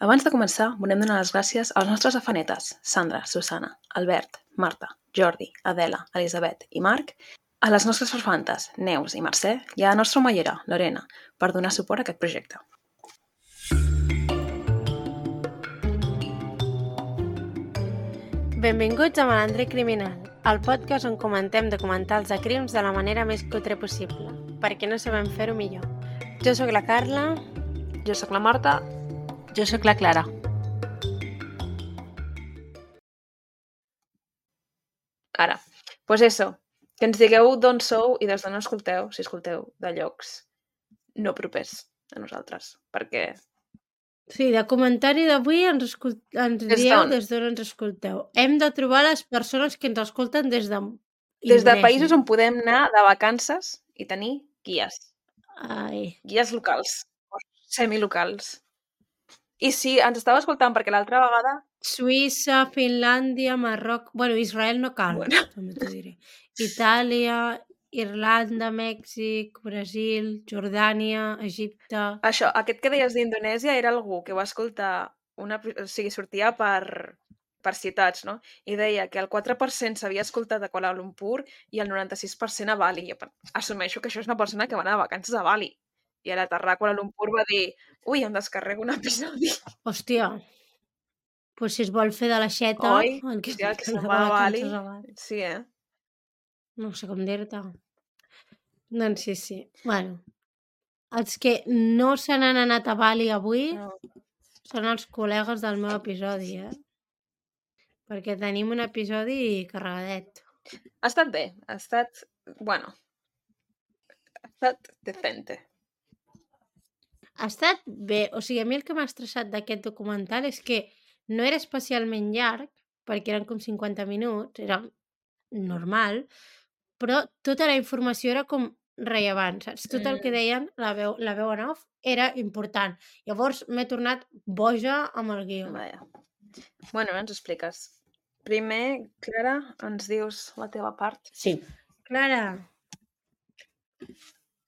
Abans de començar, volem donar les gràcies als nostres afanetes, Sandra, Susana, Albert, Marta, Jordi, Adela, Elisabet i Marc, a les nostres farfantes, Neus i Mercè, i a la nostra omellera, Lorena, per donar suport a aquest projecte. Benvinguts a Malandre Criminal, el podcast on comentem documentals de crims de la manera més cutre possible, perquè no sabem fer-ho millor. Jo sóc la Carla. Jo sóc la Marta. Jo sóc la Clara. Ara, pues eso, que ens digueu d'on sou i des d'on escolteu, si escolteu de llocs no propers a nosaltres, perquè... Sí, de comentari d'avui ens dieu des d'on ens escolteu. Hem de trobar les persones que ens escolten des de països on podem anar de vacances i tenir guies. Guies locals, o semilocals. I si ens estava escoltant, perquè l'altra vegada... Suïssa, Finlàndia, Marroc... Bueno, Israel no cal, també t'ho diré. Itàlia, Irlanda, Mèxic, Brasil, Jordània, Egipte... Això, aquest que deies d'Indonèsia era algú que va escoltar sortia per ciutats, no? I deia que el 4% s'havia escoltat a Kuala Lumpur i el 96% a Bali. Jo assumeixo que això és una persona que va anar de vacances a Bali. I a l'aterrar a Kuala Lumpur va dir ui, em descarrego un episodi. Hòstia, pues si es vol fer de la xeta... Oi? El que se'n va a Bali. Sí, No sé com dir-te. Doncs sí. Bueno, els que no se n'han anat a Bali avui són els col·legues del meu episodi, perquè tenim un episodi carregadet. Ha estat bé, ha estat decente. Ha estat bé, o sigui, a mi el que m'ha estressat d'aquest documental és que no era especialment llarg, perquè eren com 50 minuts, era normal, però tota la informació era com rellevant, saps? Tot el que deien, la veu en off, era important. Llavors m'he tornat boja amb el guió. Vaja. Bueno, ens expliques. Primer, Clara, ens dius la teva part? Sí. Clara.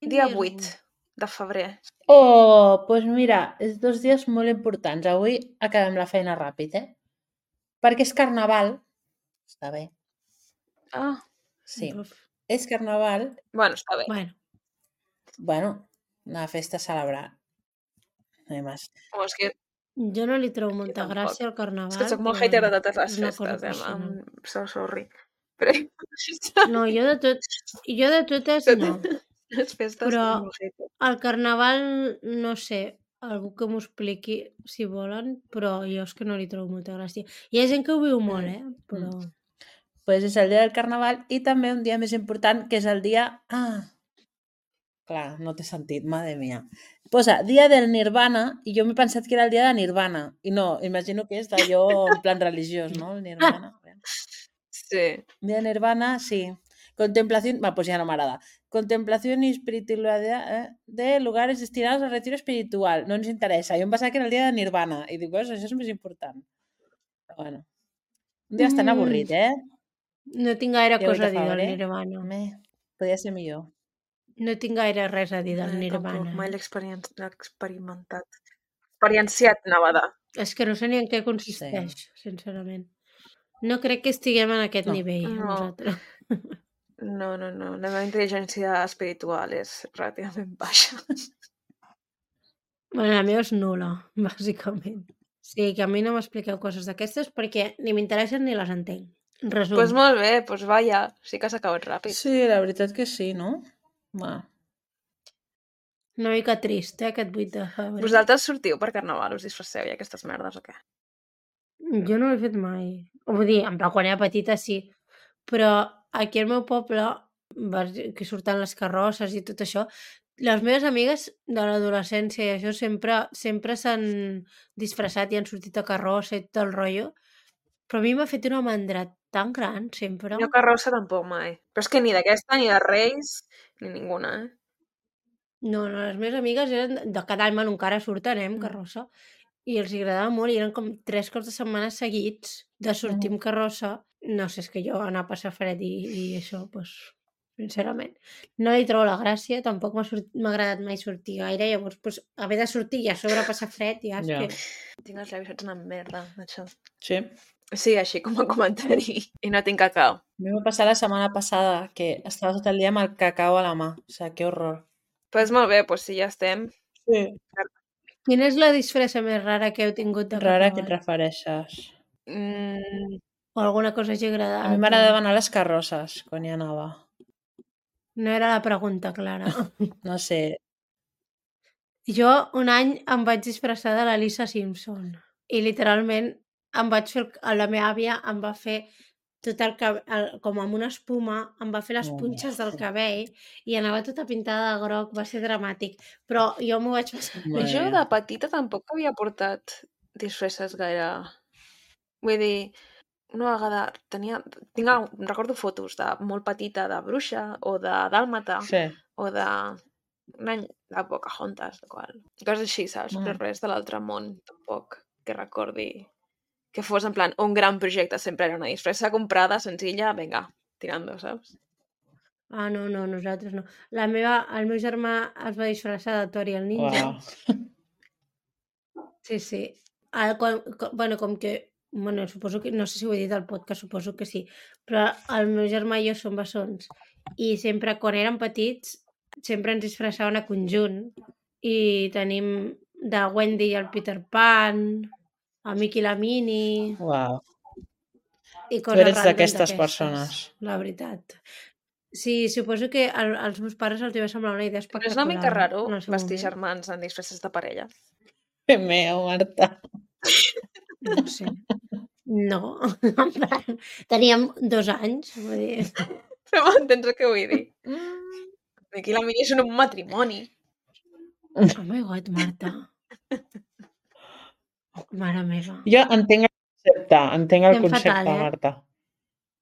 Dia 8 de febrer. Oh, doncs mira, és 2 dies molt importants. Avui acabem la feina ràpid, Perquè és carnaval. Està bé. Ah. Sí, és carnaval. Bueno, està bé. Bueno, una festa a celebrar. És que... Jo no li trobo molta gràcia al carnaval. És que soc molt hater de totes les festes, so sorry. Però... No, jo de totes no. Les festes però són molt hater. El carnaval, no sé, algú que m'ho expliqui si volen, però jo és que no li trobo molta gràcia. Hi ha gent que ho viu molt, però... Pues és el dia del carnaval i també un dia més important, que és el dia... Clar, no té sentit, madre mia. Posa dia del Nirvana i jo m'he pensat que era el dia de Nirvana. I no, imagino que és d'allò en plan religiós, no? El Nirvana. Sí. Dia de Nirvana, sí. Contemplación... pues ja no m'agrada. Contemplación y espiritualidad de lugares destinados al retiro espiritual. No ens interessa. Jo em pensava que era el dia de Nirvana. I dic, pues això és més important. Bueno. Un dia bastant avorrit, No tinc gaire cosa a dir del Nirvana. Podria ser millor. No tinc gaire res a dir del Nirvana. Tampoc, mai l'he experimentat. Experienciat, Nevada. És que no sé ni en què consisteix, sincerament. No crec que estiguem en aquest nivell, nosaltres. No. La meva intel·ligència espiritual és relativament baixa. Bueno, la meva és nul·la, bàsicament. Sí, que a mi no m'expliqueu coses d'aquestes perquè ni m'interessen ni les entenc. Resum. Doncs molt bé, doncs vaja, sí que s'ha acabat ràpid. Sí, la veritat que sí, no? Va. Una mica trist, aquest 8 de febrer. Vosaltres sortiu per carnaval, us disfresseu i aquestes merdes o què? Jo no ho he fet mai. Vull dir, en plan, quan era petita sí, però aquí al meu poble, que surten les carrosses i tot això, les meves amigues de l'adolescència i això sempre s'han disfressat i han sortit a carrossa i tot el rotllo, però a mi m'ha fet una mandra tan gran, sempre. Jo carrossa tampoc mai. Però és que ni d'aquesta, ni de Reis, ni ninguna, No, les meves amigues eren de cada any, encara surten, amb carrossa, i els agradava molt, i eren com 3 cops de setmana seguits de sortir amb carrossa. No sé, és que jo anar a passar fred i això, doncs, sincerament. No li trobo la gràcia, tampoc m'ha agradat mai sortir gaire, llavors, doncs, haver de sortir i a sobre passar fred, ja és que... Tinc els llavis fets una merda, això. Sí. Sí, així com a comentari. I no tinc cacau. A mi m'ha passat la setmana passada que estava tot el dia amb el cacau a la mà. O sigui, que horror. Pues molt bé, pues si ja estem. Sí. Quina és la disfressa més rara que heu tingut de Rara que et carnaval? refereixes. O alguna cosa hagi A mi agradat? m'agradava anar a les carrosses quan hi anava. No era la pregunta clara. No sé. Jo un any em vaig disfressar de la Lisa Simpson i literalment em vaig fer... La meva àvia em va fer tot el cabell, com amb una espuma, em va fer les punxes del cabell i anava tota pintada de groc, va ser dramàtic. Però jo m'ho vaig passar. Jo de petita tampoc havia portat disfresses gaire... Vull dir, una vegada recordo fotos de molt petita de bruixa o de dàlmata Sí. o de un any de Pocahontas, de qual. Coses així, saps? Però res de l'altre món, tampoc, que recordi que fos en plan un gran projecte. Sempre era una disfressa comprada, senzilla, vinga, tirando, saps? Ah, no, nosaltres no. El meu germà es va disfressar de Tori el ninja. Uau. Sí. Com que... Bueno, suposo que... No sé si ho he dit al podcast, suposo que sí. Però el meu germà i jo som bessons. I sempre, quan érem petits, sempre ens disfressaven a conjunt. I tenim de Wendy i el Peter Pan, a Mickey i la Minnie... Uau. I Tu coses eres random d'aquestes persones. La veritat. Sí, suposo que als meus pares els va semblar una idea Però espectacular. és una mica raro en el seu vestir moment. germans en disfresses de parella. Que meu, Marta. No sé. No. Teníem 2 anys. Vull dir. Però m'entens el que vull dir? Aquí la Mini és un matrimoni. Oh my god, Marta. Mare meva. Jo entenc el Estem concepte, fatal, Marta.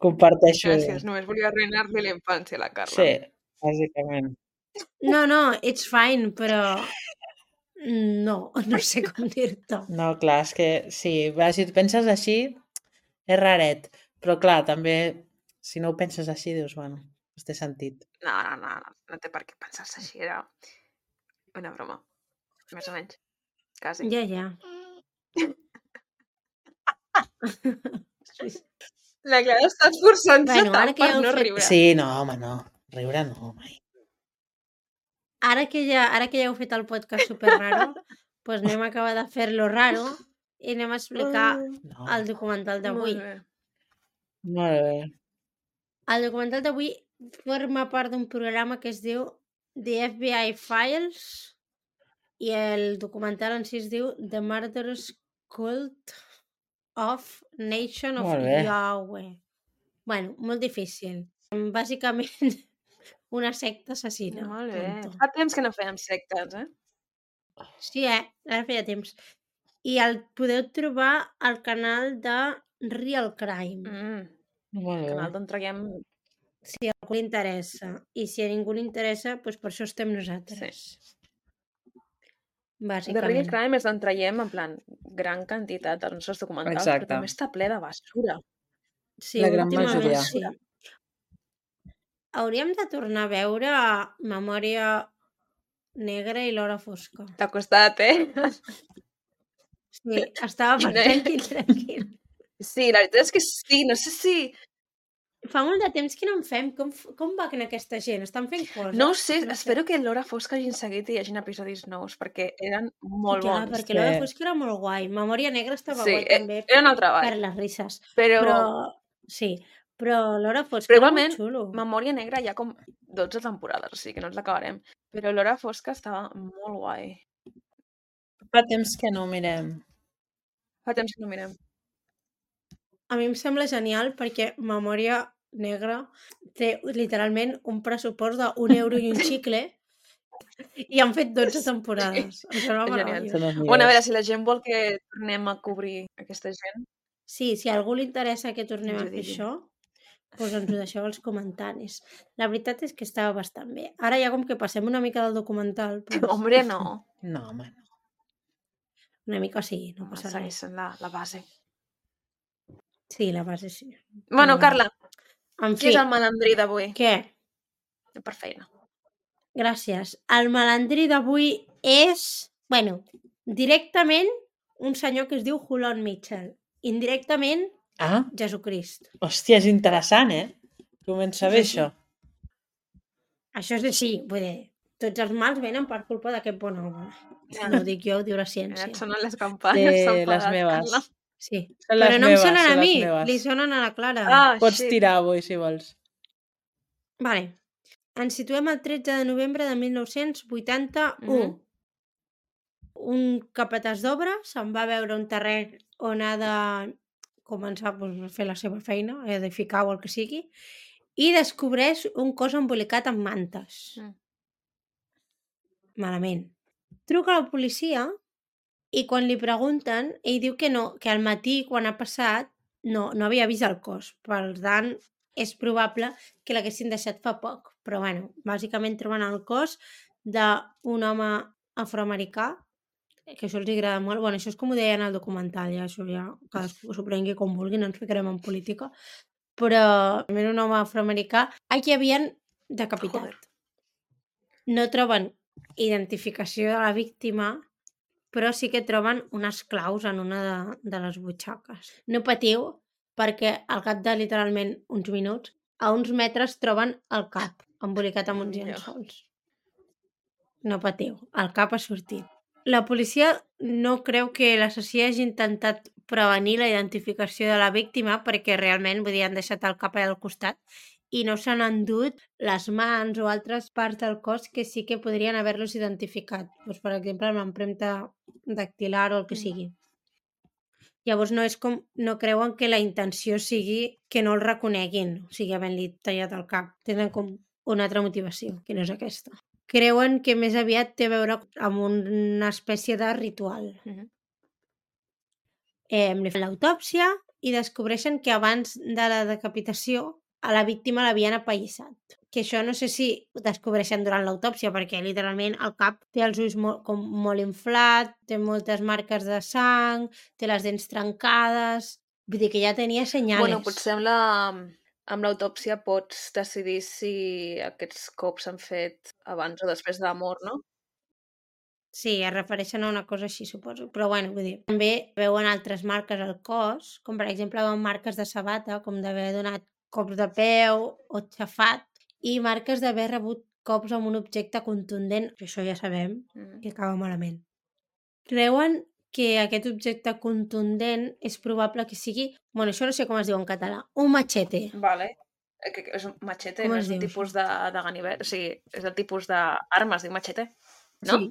Comparteixo. Gràcies, només volia arruïnar-li la infància a la Carla. Sí, bàsicament. No, it's fine, però... No sé com dir-te. No, clar, és que sí, si tu penses així, és raret. Però clar, també, si no ho penses així, dius, bueno, té sentit. No té per què pensar-se així, era una broma. Més o menys. Quasi. Ja. La Clara està esforçant-se Bueno, ara tant que per ja heu no fet- riure. Sí, no, home, no. Riure no, mai. Ara que ja heu fet el podcast super raro, doncs anem a acabar de fer-lo raro i anem a explicar No. el documental d'avui. Molt bé. Molt bé. El documental d'avui forma part d'un programa que es diu The FBI Files i el documental en si es diu The Murderous Cult of Nation of Molt bé. Yahweh. Bueno, molt difícil. Bàsicament, una secta assassina. Molt bé. Punto. Fa temps que no fèiem sectes, eh? Sí, ara feia temps. I el podeu trobar al canal de Real Crime. Molt bé. Canal d'on traiem... Si a algú li interessa. I si a ningú li interessa, doncs per això estem nosaltres. The Bàsicament. Real Crime és d'on traiem, en plan, gran quantitat dels nostres documentals, Exacte. però també està ple de basura. Sí, La gran últimament majoria. sí. Hauríem de tornar a veure Memòria Negra i l'Hora Fosca. T'ha costat, eh? Sí, estava I per no- tranquil. Sí, la veritat és que sí, no sé si... Fa molt de temps que no en fem. Com va en aquesta gent? Estan fent coses? No ho sé, No sé. espero que l'Hora Fosca hagin seguit i hi hagin episodis nous, perquè eren molt Clar, bons. perquè l'Hora Fosca era molt guai. Memòria Negra estava Sí, guai també era un altre per ball. les risses. Però Sí, però l'Hora Fosca Però era igualment, molt xulo. Memòria Negra hi ha com 12 temporades, o sigui que no ens l'acabarem. Però l'Hora Fosca estava molt guai. Fa temps que no mirem. Fa temps que no mirem. A mi em sembla genial perquè Memòria Negra té literalment un pressupost d'1 euro i un xicle i han fet 12 temporades. Em sembla És genial. meravellós. Són els Bueno, a veure, millors. si la gent vol que tornem a cobrir aquesta gent... Sí, si a algú li interessa que tornem Ens a ho fer digui. això, doncs ens ho deixeu als comentaris. La veritat és que estava bastant bé. Ara ja com que passem una mica del documental, doncs, Hombre, no. No, home, no. una mica sí, no Home, passa segueix res. sent la base. Sí, la base sí. Bueno, bueno. Carla, En qui fi, és el malandrí d'avui? què? Per feina. Gràcies. El malandrí d'avui és, bueno, directament un senyor que es diu Hulon Mitchell. Indirectament, Ah, Jesucrist. hòstia, és interessant, Comença bé, Sí. això. Això és així, vull dir, tots els mals venen per culpa d'aquest bon home. No ho dic jo, ho diu la Ara ciència. et sonen les campanes, s'ha Les enfadat, meves. Carla. Sí. Són Però les no em meves, sonen a són les mi, meves. li sonen a la Clara. Ah, Pots shit. tirar avui, si vols. Vale. Ens situem el 13 de novembre de 1981. Un capatàs d'obra se'n va veure un terreny on ha de començar a fer la seva feina, a edificar o el que sigui, i descobreix un cos embolicat amb mantes. Malament. Truca a la policia i quan li pregunten, ell diu que no, que al matí, quan ha passat, no havia vist el cos. Per tant, és probable que l'haguessin deixat fa poc. Però, bueno, bàsicament troben el cos d'un home afroamericà, que això els agrada molt. Bueno, això és com ho deien al documental, ja, això ja cadascú s'ho prengui com vulgui, no ens ficarem en política. Però era un home afroamericà a qui havien decapitat. Joder. No troben identificació de la víctima, però sí que troben unes claus en una de les butxaques. No patiu, perquè al cap de literalment uns minuts, a uns metres troben el cap embolicat amb uns llençols. No patiu, el cap ha sortit. La policia no creu que l'assassí hagi intentat prevenir la identificació de la víctima perquè realment, vull dir, han deixat el cap allà al costat i no s'han endut les mans o altres parts del cos que sí que podrien haver-los identificat. Doncs, per exemple, amb l'empremta dactilar o el que sigui. Llavors no creuen que la intenció sigui que no el reconeguin, o sigui, havent-li tallat el cap. Tenen com una altra motivació, que no és aquesta. Creuen que més aviat té a veure amb una espècie de ritual. Li fan l'autòpsia i descobreixen que abans de la decapitació a la víctima l'havien apallissat. Que això no sé si ho descobreixen durant l'autòpsia, perquè literalment el cap té els ulls molt inflat, té moltes marques de sang, té les dents trencades... Vull dir que ja tenia senyales. Bueno, potser amb l'autòpsia pots decidir si aquests cops s'han fet abans o després de la mort, no? Sí, es refereixen a una cosa així, suposo. Però bueno, vull dir, també veuen altres marques al cos, com per exemple veuen marques de sabata, com d'haver donat cops de peu o xafat, i marques d'haver rebut cops amb un objecte contundent, que això ja sabem que acaba malament. Creuen que aquest objecte contundent és probable que sigui... Bueno, això no sé com es diu en català. Un machete. Vale. Que és un machete, Com no es és un diu, tipus de ganivet, o sigui, és el tipus d'armes, diu machete, no? Sí.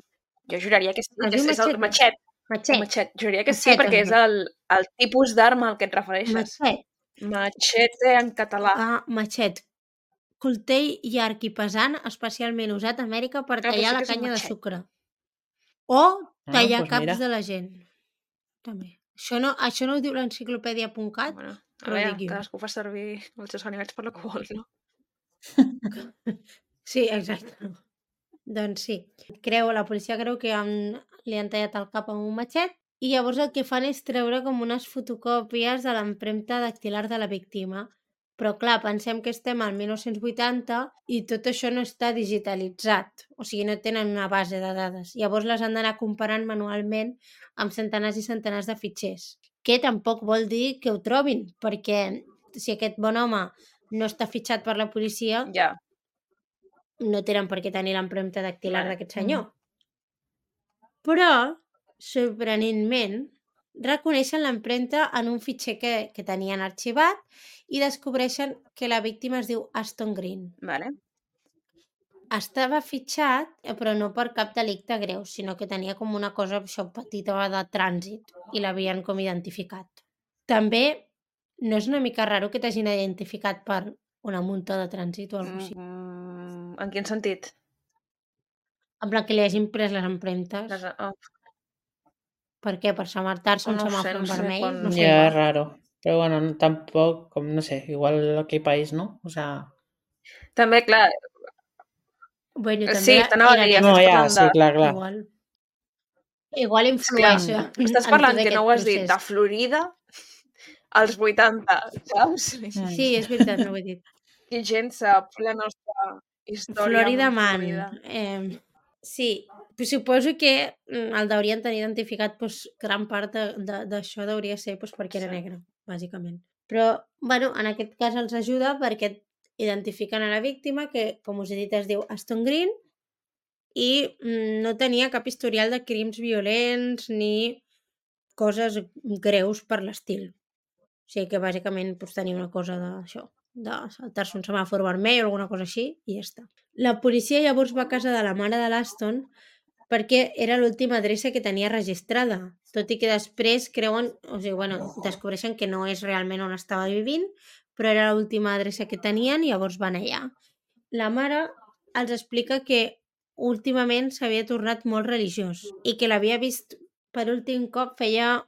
Jo juraria que sí, Es diu és el machete. machet. Juraria que sí, Machet, perquè és el tipus d'arma al que et refereixes. Machet. Machete en català. Ah, machet. Coltell llarg i pesant, especialment usat a Amèrica per tallar la canya de sucre. O tallar caps de la gent. També. Això no ho diu l'enciclopèdia.cat, Bueno, però ho dic jo. cadascú fa servir els seus animals per lo que vol, no? Sí, exacte. Doncs sí. La policia creu que li han tallat el cap amb un matxet i llavors el que fan és treure com unes fotocòpies de l'empremta dactilar de la víctima. Però clar, pensem que estem al 1980 i tot això no està digitalitzat, o sigui, no tenen una base de dades. Llavors les han d'anar comparant manualment amb centenars i centenars de fitxers, que tampoc vol dir que ho trobin, perquè si aquest bon home no està fitxat per la policia, Ja. no tenen per què tenir l'empremta dactilar d'aquest senyor. Però, sorprenentment, reconeixen l'empremta en un fitxer que tenien arxivat i descobreixen que la víctima es diu Aston Green. Vale. Estava fitxat, però no per cap delicte greu, sinó que tenia com una cosa petita de trànsit i l'havien com identificat. També no és una mica raro que t'hagin identificat per una multa de trànsit o alguna cosa així. En quin sentit? En plan que li hagin pres les empremtes. Per què? Per semartar-se un semàfor en vermell? No sé. Ja, és raro. Però bueno, tampoc, com no sé, igual aquell país, no? O sea... També, clar... Bueno, també sí, t'anava a dir... No, ja, sí, clar. Igual influeix. Estàs parlant que no ho has dit, de Florida als 80, saps? Sí, és veritat, no ho he dit. I gent sap la nostra història. Florida Man. Sí, suposo que el deurien tenir identificat, doncs, gran part d'això deuria ser perquè era Sí. negre, bàsicament. Però, bueno, en aquest cas els ajuda perquè identifiquen a la víctima, que, com us he dit, es diu Aston Green, i no tenia cap historial de crims violents ni coses greus per l'estil. O sigui que, bàsicament, tenia una cosa d'això, de saltar-se un semàfor vermell o alguna cosa així, i ja està. La policia llavors va a casa de la mare de l'Aston perquè era l'última adreça que tenia registrada, tot i que després creuen, descobreixen que no és realment on estava vivint, però era l'última adreça que tenien i llavors van allà. La mare els explica que últimament s'havia tornat molt religiós i que l'havia vist per últim cop feia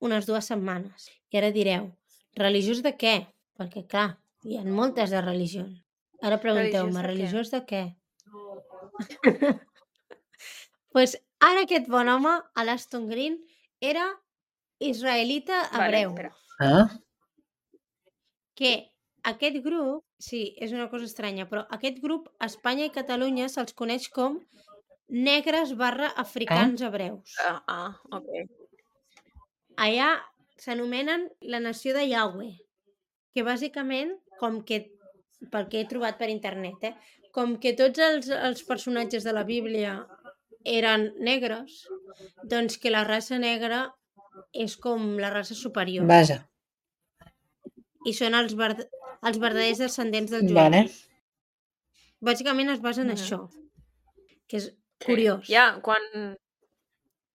unes 2 setmanes. I ara direu, religiós de què? Perquè, clar, hi ha moltes de religions. Ara pregunteu-me, religiós de què? Pues ara aquest bon home, l'Aston Green, era israelita hebreu. Que aquest grup, sí, és una cosa estranya, però aquest grup, a Espanya i Catalunya, se'ls coneix com negres/africans hebreus. Ok. Allà s'anomenen la nació de Yahweh, que bàsicament, com que, pel que he trobat per internet, com que tots els personatges de la Bíblia eren negres, doncs que la raça negra és com la raça superior. Vaja. I són els verdaders descendents dels jueus. Vale. Bàsicament es basa en això, que és curiós. Ja, quan...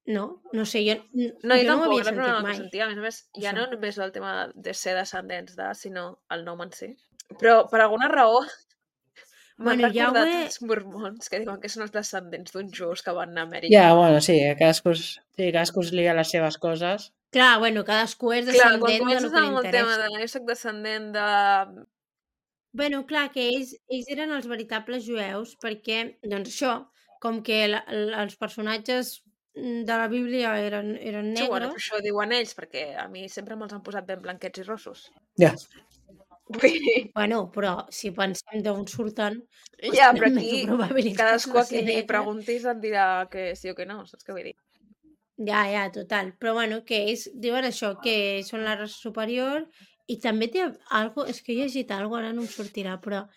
No sé, jo No, jo no tampoc, ho havia era la primera sentit vegada que mai. ho sentia. A més, ja Això. no només el tema de ser descendents de, sinó el nom en si. Però per alguna raó m'han recordat Yahweh... els mormons que diuen que són els descendents d'uns jueus que van anar a Amèrica. Ja, bueno, sí, cadascú es lia les seves coses. Clar, cadascú és Clar, descendent quan de lo comences que li amb el tema interessa. de jo soc descendent de... Clar, que ells eren els veritables jueus perquè, doncs això, com que els personatges de la Bíblia eren negres... Sí, bueno, però això ho diuen ells, perquè a mi sempre me'ls han posat ben blanquets i rossos. Ja. Però si pensem d'on surten... Ja, però aquí cadascú a qui li negre. preguntis et dirà que sí o que no, saps què vull dir? Ja, total. Però que ells diuen això, que són la raça superior i també té algo, és que he llegit algo, ara no em sortirà, però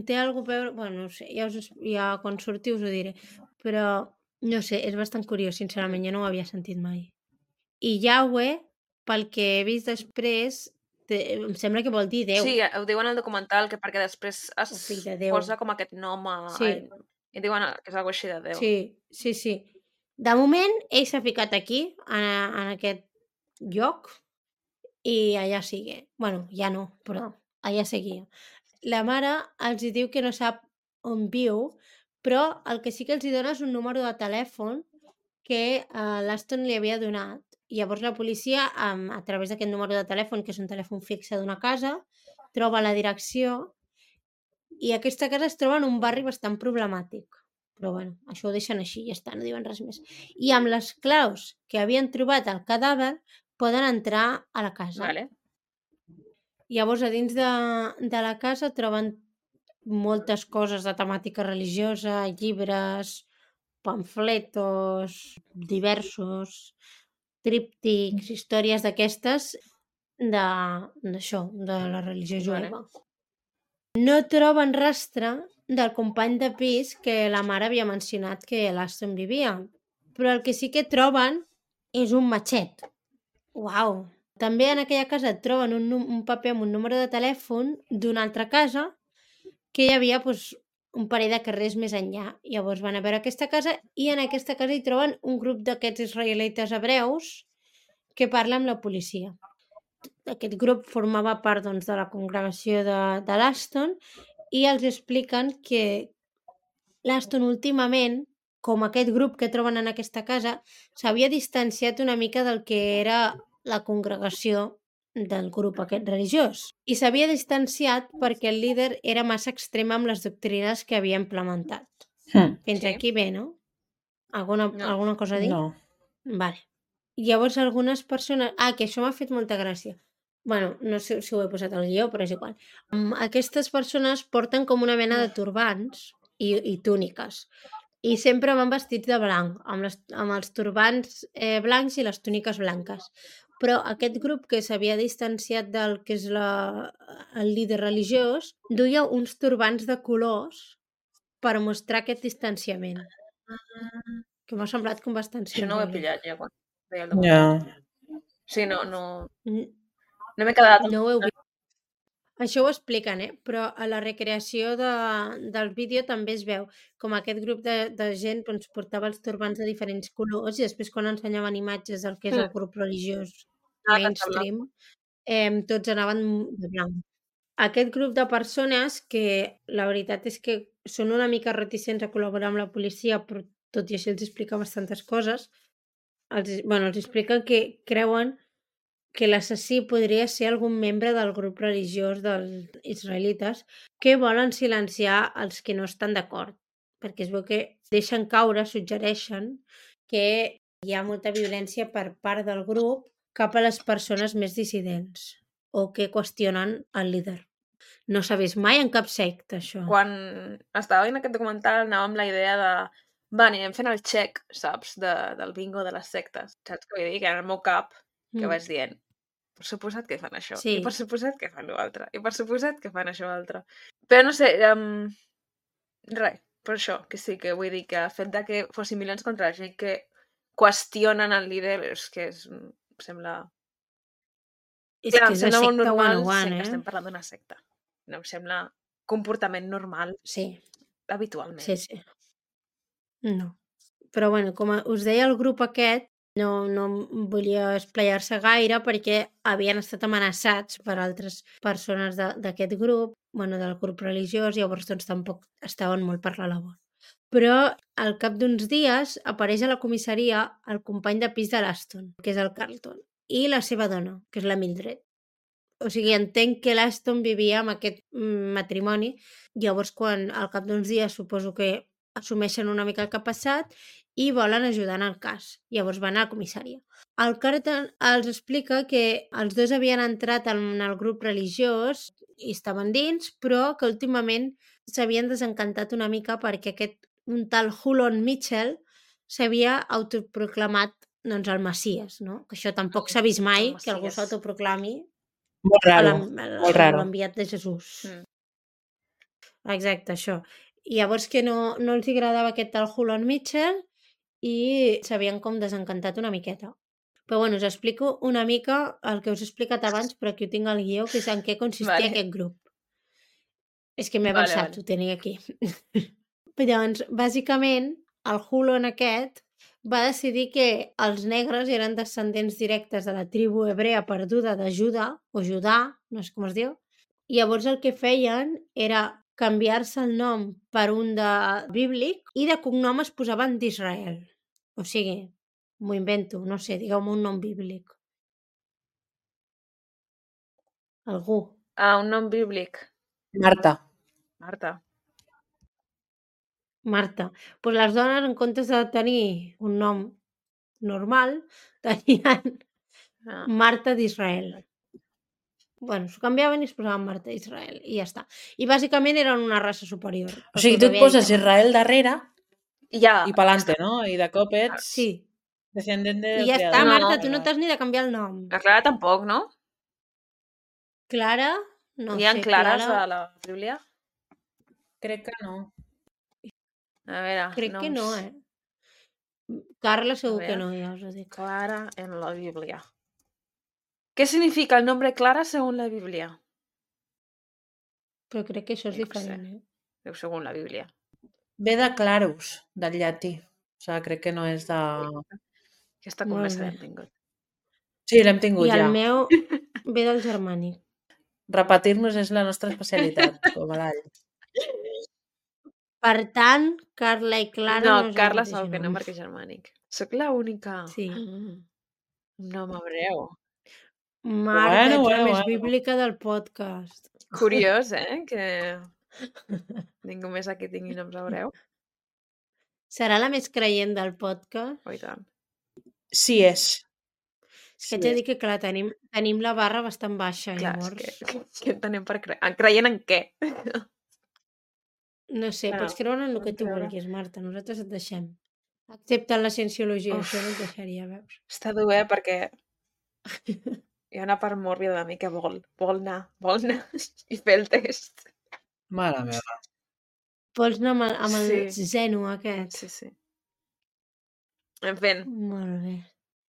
té algo a veure, bueno, no sé, ja quan surti us ho diré, però no sé, és bastant curiós, sincerament, jo no ho havia sentit mai. I Yahweh, pel que he vist després, em sembla que vol dir Déu. Sí, ho diuen al documental, que perquè després es fill de Déu. posa com aquest nom i diuen que és algo així de Déu. Sí. De moment, ell s'ha ficat aquí, en aquest lloc, i allà sigue. Bueno, ja no, però allà seguia. La mare els diu que no sap on viu, però el que sí que els dona és un número de telèfon que l'Aston li havia donat. I llavors la policia, a través d'aquest número de telèfon, que és un telèfon fixe d'una casa, troba la direcció i aquesta casa es troba en un barri bastant problemàtic. Però bueno, això ho deixen així, ja està, no diuen res més. I amb les claus que havien trobat al cadàver poden entrar a la casa. Vale. Llavors, a dins de la casa troben moltes coses de temàtica religiosa, llibres, pamfletos, diversos, tríptics, històries d'aquestes d'això, de la religió jueva. No troben rastre del company de pis que la mare havia mencionat que l'Aston vivia, però el que sí que troben és un matxet. Uau! També en aquella casa et troben un paper amb un número de telèfon d'una altra casa que hi havia un parell de carrers més enllà. Llavors van a veure aquesta casa i en aquesta casa hi troben un grup d'aquests israelites hebreus que parla amb la policia. Aquest grup formava part de la congregació de l'Aston i els expliquen que l'Aston últimament, com aquest grup que troben en aquesta casa, s'havia distanciat una mica del que era la congregació del grup aquest religiós. I s'havia distanciat perquè el líder era massa extrem amb les doctrines que havia implementat. Fins aquí bé, no? Alguna cosa a dir? No. Vale. Llavors algunes persones... que això m'ha fet molta gràcia. Bueno, no sé si ho he posat al guió, però és igual. Aquestes persones porten com una mena de turbants i túniques. I sempre van vestits de blanc, amb els turbants blancs i les túniques blanques. Però aquest grup que s'havia distanciat del que és el líder religiós duia uns turbants de colors per mostrar aquest distanciament, que m'ha semblat com bastant Això no ho he simbòlic. pillat ja quan veia el Ja. documental. Sí, no N- m'he quedat... No ho heu vist. Això ho expliquen, però a la recreació del vídeo també es veu com aquest grup de gent doncs, portava els turbants de diferents colors i després quan ensenyaven imatges del que és el grup religiós que em mainstream, tots anaven de blanc. Aquest grup de persones que la veritat és que són una mica reticents a col·laborar amb la policia, però tot i així els explica bastantes coses, els expliquen que creuen que l'assassí podria ser algun membre del grup religiós dels israelites que volen silenciar els que no estan d'acord, perquè es veu que deixen caure, suggereixen que hi ha molta violència per part del grup cap a les persones més dissidents o que qüestionen el líder. No s'ha vist mai en cap secta, això. Quan estava veient aquest documental anava amb la idea de va, anirem fent el check, saps, del bingo de les sectes. Saps què vull dir? Que en el meu cap que vaig dient per suposat que fan això, Sí. i per suposat que fan l'altre, i per suposat que fan això altre. Però no sé, res, per això, que sí, que vull dir que el fet de que fossin milions contra la gent que qüestionen el líder és que em sembla... És Clar, que em és la sembla molt secta normal 101, sent que estem parlant d'una secta. No em sembla comportament normal Sí, habitualment. sí. No. Però bueno, com us deia, el grup aquest no volia esplaiar-se gaire perquè havien estat amenaçats per altres persones d'aquest grup, del grup religiós, llavors doncs tampoc estaven molt per la labor. Però al cap d'uns dies apareix a la comissaria el company de pis de l'Aston, que és el Carlton, i la seva dona, que és la Mildred. O sigui, entenc que l'Aston vivia amb aquest matrimoni, llavors al cap d'uns dies suposo que assumeixen una mica el que ha passat i volen ajudar en el cas. Llavors van a la comissària. El Carlton els explica que els dos havien entrat en el grup religiós i estaven dins, però que últimament s'havien desencantat una mica perquè un tal Hulon Mitchell s'havia autoproclamat el Messies, no? Que això tampoc s'ha vist mai, que algú s'autoproclami Molt raro, molt raro. l'enviat de Jesús. Exacte, això. I llavors que no els agradava aquest tal Hulon Mitchell i s'havien com desencantat una miqueta. Però bueno, us explico una mica el que us he explicat abans, però aquí ho tinc al guió, que és en què consistia aquest grup. És que m'he avançat, ho tenia aquí. Doncs, bàsicament, el Hulon aquest va decidir que els negres eren descendents directes de la tribu hebrea perduda de Judà, o Judà, no sé com es diu, i llavors el que feien era canviar-se el nom per un de bíblic i de cognom es posaven d'Israel. O sigui, m'ho invento, no sé, digueu-me un nom bíblic. Algú. Un nom bíblic. Marta. Marta. Pues les dones, en comptes de tenir un nom normal, tenien Marta d'Israel. Bueno, s'ho canviaven i es posaven Marta d'Israel i ja està. I bàsicament eren una raça superior. O sigui, tu et poses Israel darrere i pa'lante, no? I de cop ets descendent del I ja creador. està, Marta, tu no t'has ni de canviar el nom. La Clara tampoc, no? Clara? No Hi ha sé, clares Clara... a la Bíblia? Crec que no. A veure, Crec que no, Carla segur que no, ja us ho dic. Clara en la Bíblia. ¿Qué significa el nombre Clara según la Biblia? Però crec que això és diferent, Diu según la Bíblia. Ve de clarus, del llatí. O sigui, crec que no és de... Aquesta conversa l'hem tingut. Sí, l'hem tingut ja. I el meu ve del germànic. Repetir-nos és la nostra especialitat, com a l'all. Per tant, Carla i Clara no és Carla el mateix segur que no, perquè és germànic. Soc l'única. Sí. Un nom hebreu. Marta, ets la més bíblica del podcast. Curiós, que ningú més aquí tingui noms hebreu. Serà la més creient del podcast? Oh, i tant. Sí és. És que haig de dir que, clar, tenim la barra bastant baixa, clar, llavors. Què entenem per creient en què? No sé, Bueno, pots creure en el que podem tu creure. vulguis, Marta. Nosaltres et deixem. Excepte en la cienciologia, Uf. això no et deixaria, veus? Està dur, perquè hi ha una part mòrbida de mi que vol anar i fer el test. Mare meva. Vols anar amb el Sí. zeno aquest? Sí. En fi, Molt bé.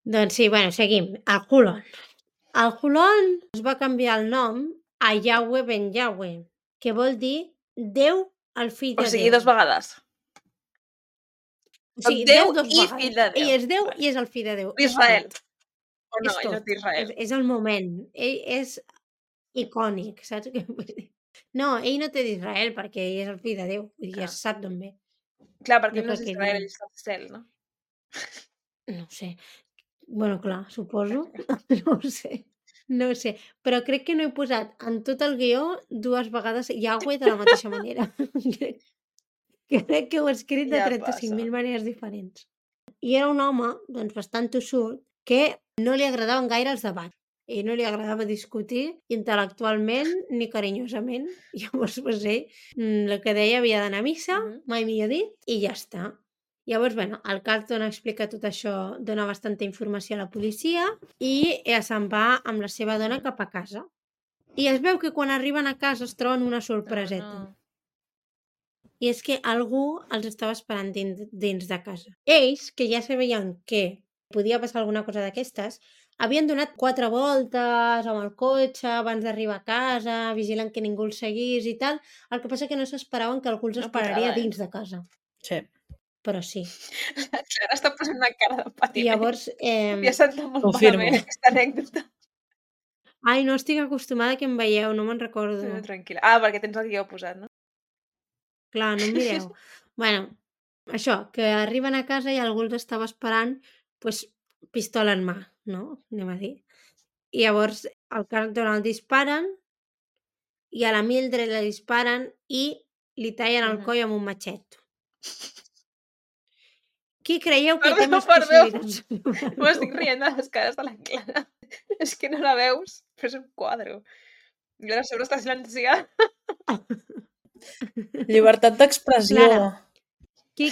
Doncs sí, bueno, seguim. El Hulon. El Hulon es va canviar el nom a Yahweh ben Yahweh, que vol dir Déu el fill o de sigui, Déu. 2 vegades. O sigui, Déu Déu dos i vegades. fill de Déu. Ell és Déu Vale. i és el fill de Déu. És D'Israel. tot. O no, És ell no tot. és d'Israel. És el moment. Ell és icònic, saps què vull dir? No, ell no té d'Israel perquè ell és el fill de Déu. Vull dir, ja Ah. se sap d'on ve. Clar, perquè ell Jo no és crec que d'Israel, diuen. ell està al cel, no? No ho sé. Bueno, clar, suposo. No ho sé. No ho sé. Però crec que no he posat en tot el guió 2 vegades Yahweh de la mateixa manera. Crec que ho he escrit de Ja 35.000 passa. maneres diferents. I era un home, doncs, bastant tossut, que no li agradaven gaire els debats. I no li agradava discutir intel·lectualment ni carinyosament. Llavors, pues, el que deia havia d'anar a missa, mai millor dit, i ja està. Llavors, bueno, el Carlton explica tot això, dona bastanta informació a la policia i se'n va amb la seva dona cap a casa. I es veu que quan arriben a casa es troben una sorpreseta. No. I és que algú els estava esperant dins de casa. Ells, que ja sabien que podia passar alguna cosa d'aquestes, havien donat 4 voltes amb el cotxe abans d'arribar a casa, vigilant que ningú els seguís i tal. El que passa que no s'esperaven que algú els Una esperaria putada, dins de casa. Sí. Però sí. La Clara està posant una cara de I patiment. llavors... Li ha sentat molt Confirmo. malament aquesta anècdota. Ai, no estic acostumada que em veieu, no me'n recordo. No, tranquil·la. Ah, perquè tens el guió posat, no? Clar, no em mireu. Bueno, això, que arriben a casa i algú els estava esperant, pues, pistola en mà, no? Anem a dir. I llavors al Carlton el disparen i a la Mildred la disparen i li tallen el coll amb un matxet. Qui creieu que té més possibilitats? M'estic rient de les cares de la Clara. És que no la veus, però és un quadre. I ara a sobre està silenciada. Llibertat d'expressió. Clara. Qui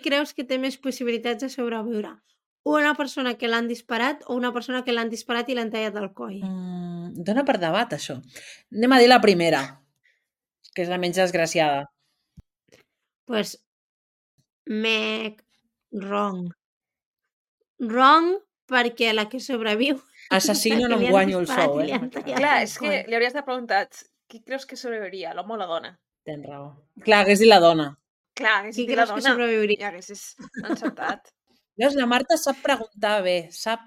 creus que té més possibilitats de sobreviure? Una persona que l'han disparat o una persona que l'han disparat i l'han tallat el coll? Dona per debat, això. Anem a dir la primera, que és la menys desgraciada. Pues, wrong. Wrong perquè la que sobreviu... Assassino no em li han guanyo el disparat sou, i li han tallat Clar, el és que coll. li hauries de preguntat qui creus que sobreviuria, l'home o la dona? Tens raó. Clar, hagués dit la dona. Clar, haguessis Qui dit la creus que dona sobreviuria? i haguessis encertat. Veus, la Marta sap preguntar bé, sap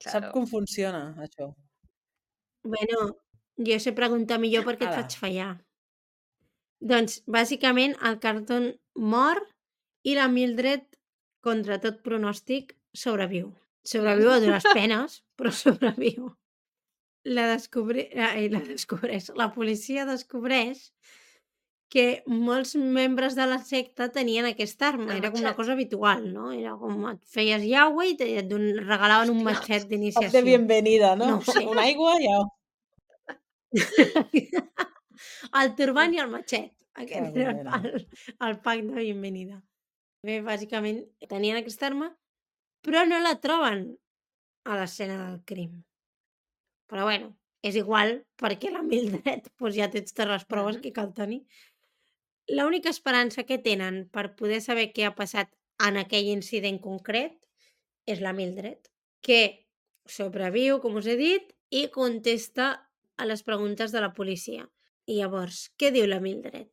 Claro. com funciona, això. Bueno, jo sé preguntar millor perquè et Ala. faig fallar. Doncs, bàsicament, el Carlton mor i la Mildred, contra tot pronòstic, sobreviu. Sobreviu a dures penes, però sobreviu. La descobreix. La policia descobreix que molts membres de la secta tenien aquesta arma. El Era com una matxet. cosa habitual, no? Era com et feies Yahweh i et regalaven un Hòstia. matxet Cop de d'iniciació. bienvenida, no? No ho sé. Una aigua i au. El turbant i el matxet. Aquest Que era el pack de bienvenida. Bé, bàsicament, tenien aquesta arma, però no la troben a l'escena del crim. Però bueno, és igual, perquè la Mildred doncs ja tens totes les proves que cal tenir. L'única esperança que tenen per poder saber què ha passat en aquell incident concret és la Mildred, que sobreviu, com us he dit, i contesta a les preguntes de la policia. I llavors, què diu la Mildred?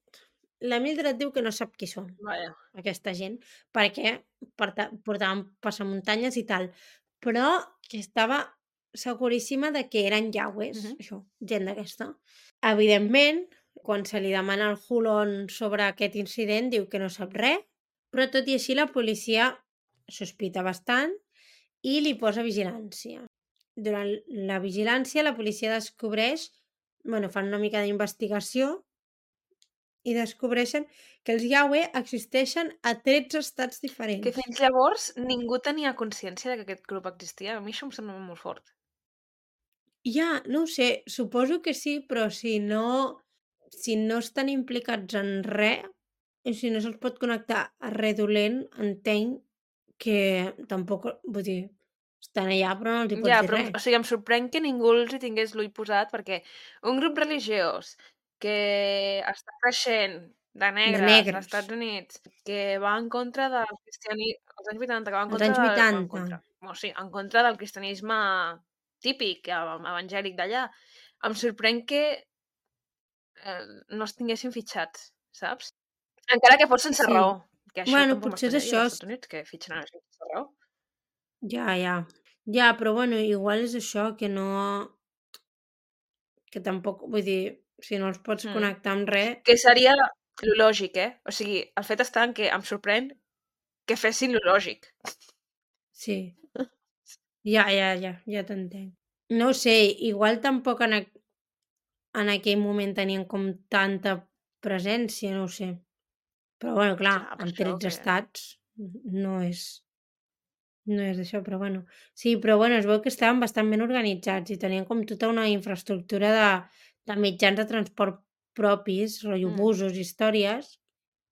La Mildred diu que no sap qui són Vaja. aquesta gent, perquè portaven passamuntanyes i tal, però que estava seguríssima de que eren Yahwehs, això, gent d'aquesta. Evidentment, quan se li demana al Hulon sobre aquest incident, diu que no sap res, però tot i així la policia sospita bastant i li posa vigilància. Durant la vigilància, la policia descobreix, fan una mica d'investigació i descobreixen que els Yahweh existeixen a 13 estats diferents. Que fins llavors ningú tenia consciència de que aquest grup existia. A mi això em sembla molt fort. Ja, no ho sé, suposo que sí, però si no si no estan implicats en res, i si no se'ls pot connectar a res dolent, entenc que tampoc, vull dir, estan allà però no els hi pots Ja, dir però, res. o sigui, em sorprèn que ningú els hi tingués l'ull posat, perquè un grup religiós que està creixent de De negres als negres, Estats Units, que va en contra del cristianisme, als anys 80, que va en als contra anys del... En 80. contra, o sigui, en contra del cristianisme típic, evangèlic d'allà. Em sorprèn que no es tinguessin fitxats, saps? Encara que fos sense Sí. raó, que això Bueno, tampoc potser és m'estranyaria això. als Estats Units, que fitxen a la gent sense raó. Ja. Ja, però bueno, igual és això, que no... Que tampoc, vull dir, si no els pots connectar amb res... Que seria lo lògic, eh? O sigui, el fet està en que em sorprèn que fessin lo lògic. Sí. Ja t'entenc. No ho sé, igual tampoc en aquell moment tenien com tanta presència, no ho sé. Però bueno, clar, Clar, per en això 13 que... estats no és això, però bueno. Sí, però bueno, es veu que estaven bastant ben organitzats i tenien com tota una infraestructura de mitjans de transport propis, rotllo busos, històries,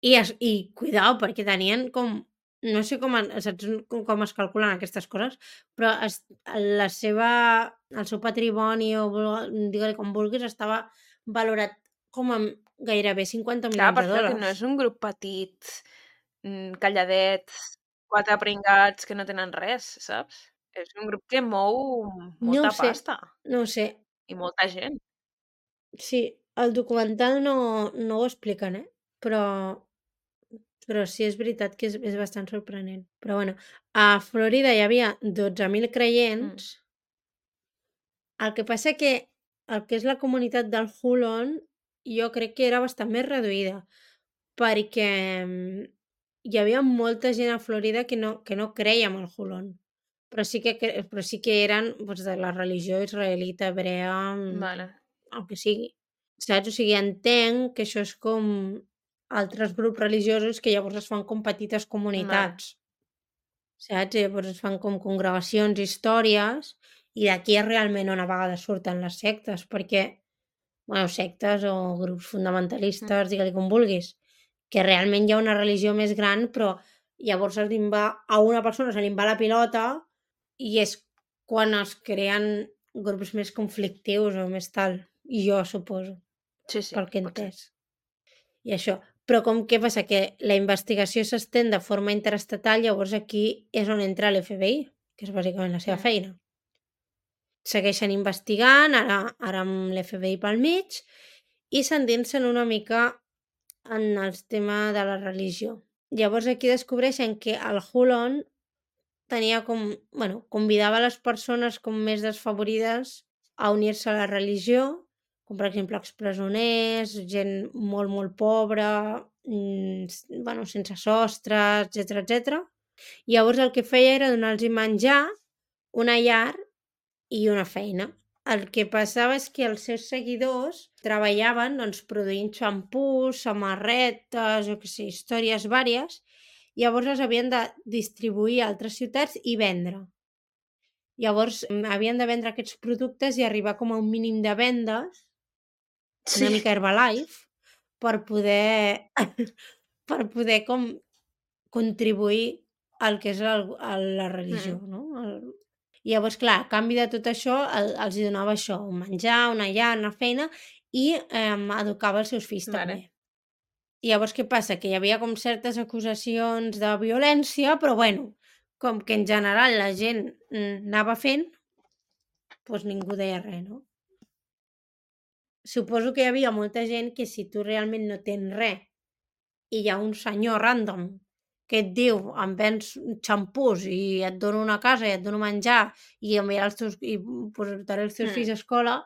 i cuidao, perquè tenien com... No sé saps com es calculen aquestes coses, però el seu patrimoni, o digue-li com vulguis, estava valorat com amb gairebé 50 Clar, milions per de això que no dòlars. és un grup petit, calladets, 4 pringats que no tenen res, saps? És un grup que mou No ho molta sé, pasta no ho sé. i molta gent. Sí, el documental no ho expliquen, però sí és veritat que és bastant sorprenent. Però bueno, a Florida hi havia 12.000 creients. El que passa que el que és la comunitat del Huron jo crec que era bastant més reduïda, perquè hi havia molta gent a Florida que no creia en el Huron, però sí que eren doncs, de la religió israelita, hebrea, Vale. el que sigui. Saps? O sigui, entenc que això és com altres grups religiosos que llavors es fan com petites Vale. comunitats, saps? I llavors es fan com congregacions, històries, i d'aquí és realment on a vegades surten les sectes, perquè, bueno, sectes o grups fonamentalistes, digue-li com vulguis, que realment hi ha una religió més gran, però llavors a una persona se li va la pilota i és quan es creen grups més conflictius o més tal, i jo suposo, Sí, sí, pel que he pot ser. entès. I això. Però què passa? Que la investigació s'estén de forma interestatal, llavors aquí és on entra l'FBI, que és bàsicament la seva feina. Segueixen investigant, ara amb l'FBI pel mig, i s'endinsen una mica en el tema de la religió. Llavors aquí descobreixen que el Huron tenia convidava les persones com més desfavorides a unir-se a la religió, com per exemple expresoners, gent molt, molt pobra, sense sostre, etc. Llavors el que feia era donar-los menjar, una llar i una feina. El que passava és que els seus seguidors treballaven produint xampús, samarretes, històries vàries, llavors les havien de distribuir a altres ciutats i vendre. Llavors havien de vendre aquests productes i arribar com a un mínim de vendes, una mica Herbalife, per poder com contribuir al que és la religió, no? Llavors, clar, a canvi de tot això, els hi donava això, un menjar, una llar, una feina, i educava els seus fills també. I llavors què passa? Que hi havia com certes acusacions de violència, però bueno, com que en general la gent anava fent, doncs ningú deia res, no? Suposo que hi havia molta gent que si tu realment no tens res i hi ha un senyor random que et diu em vens xampús i et dono una casa i et dono menjar i portaré els teus fills a escola,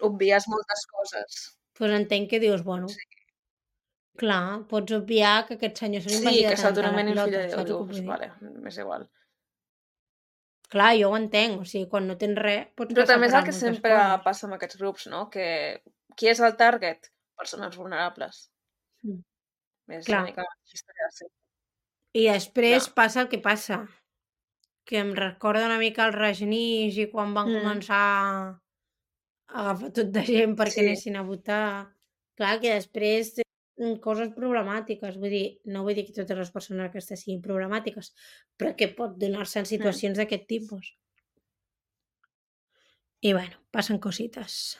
Obvies moltes coses. doncs entenc que dius, bueno, clar, pots obviar que aquest senyor se li Sí, vagi que de rentar la s'autonomeni el fill pilota, de Déu, saps el que dius, vull dir? vale, m'és igual. Clar, jo ho entenc, o sigui, quan no tens res pots Però passar també per és el alt que moltes sempre coses. passa amb aquests grups, no? Que qui és el target? Persones vulnerables. Mm. És Clar. una mica la història de sempre. I després Clar. passa el que passa, que em recorda una mica el Rajneesh i quan van començar a agafar tot de gent perquè anessin a votar. Clar, que després té coses problemàtiques, vull dir, no vull dir que totes les persones aquestes siguin problemàtiques, però que pot donar-se en situacions d'aquest tipus. I bueno, passen cosites.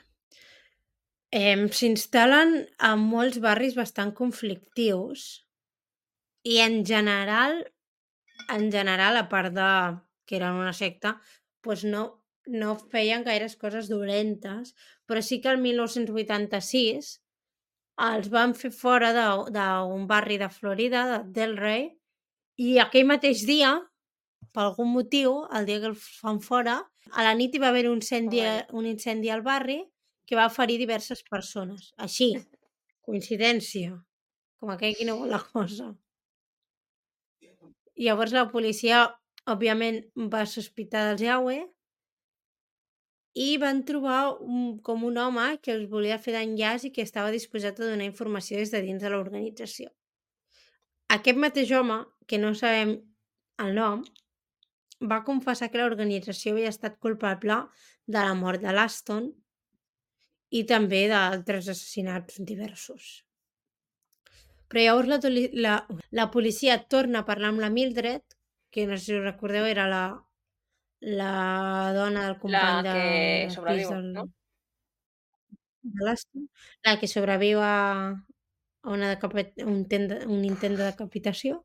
S'instal·len a molts barris bastant conflictius i en general, a part de que eren una secta, doncs no feien gaires coses dolentes, però sí que el 1986 els van fer fora d'un barri de Florida, de Delray, i aquell mateix dia, per algun motiu, el dia que el fan fora, a la nit hi va haver un incendi al barri que va ferir diverses persones. Així, coincidència, com aquell qui no vol la cosa. Llavors la policia, òbviament, va sospitar dels Yahweh i van trobar com un home que els volia fer d'enllaç i que estava disposat a donar informació des de dins de l'organització. Aquest mateix home, que no sabem el nom, va confessar que l'organització havia estat culpable de la mort de l'Aston i també d'altres assassinats diversos. Però llavors la policia torna a parlar amb la Mildred, que no sé si us recordeu, era la dona del company La que del sobreviu, pis no? de l'Aston, la que sobreviu a un intent de decapitació.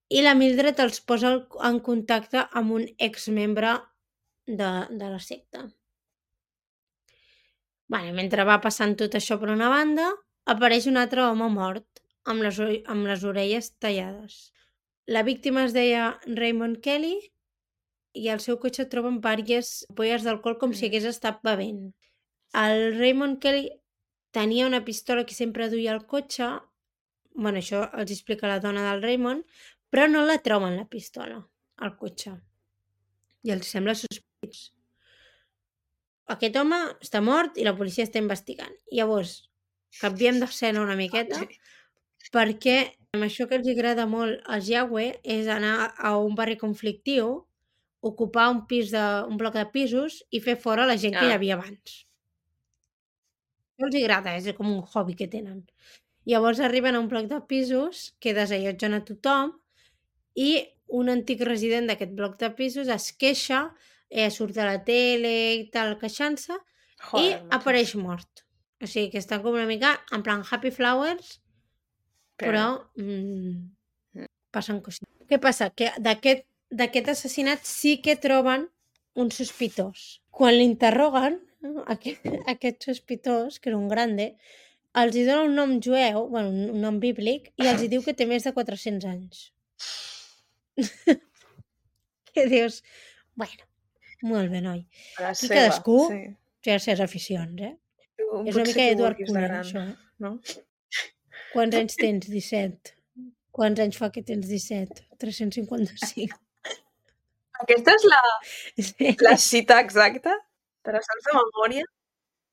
I la Mildred els posa en contacte amb un exmembre de la secta. Mentre va passant tot això per una banda, apareix un altre home mort, amb les orelles tallades. La víctima es deia Raymond Kelly i al seu cotxe troben diverses ampolles d'alcohol com si hagués estat bevent. El Raymond Kelly tenia una pistola que sempre duia al cotxe, això els explica la dona del Raymond, però no la troben la pistola al cotxe. I els sembla sospitós. Aquest home està mort i la policia està investigant. Llavors, canviem d'escena una miqueta, perquè això que els agrada molt als Yahweh és anar a un barri conflictiu, ocupar un bloc de pisos i fer fora la gent que hi havia abans. No els agrada, és com un hobby que tenen. Llavors arriben a un bloc de pisos que desallotgen a tothom i un antic resident d'aquest bloc de pisos es queixa, surt a la tele i tal, queixant-se, i apareix mort. O sigui que estan com una mica en plan Happy Flowers, però passen coses. Què passa? Que d'aquest assassinat sí que troben un sospitós. Quan l'interroguen, aquest sospitós, que era un grande, els hi dona un nom jueu, un nom bíblic, i els hi diu que té més de 400 anys. Que dius, molt bé, noi. Aquí cadascú té les seves aficions, És una mica Edward Cullen, això, no? Quants anys tens? 17. Quants anys fa que tens 17? 355. Aquesta és la cita exacta? Te la saps de memòria?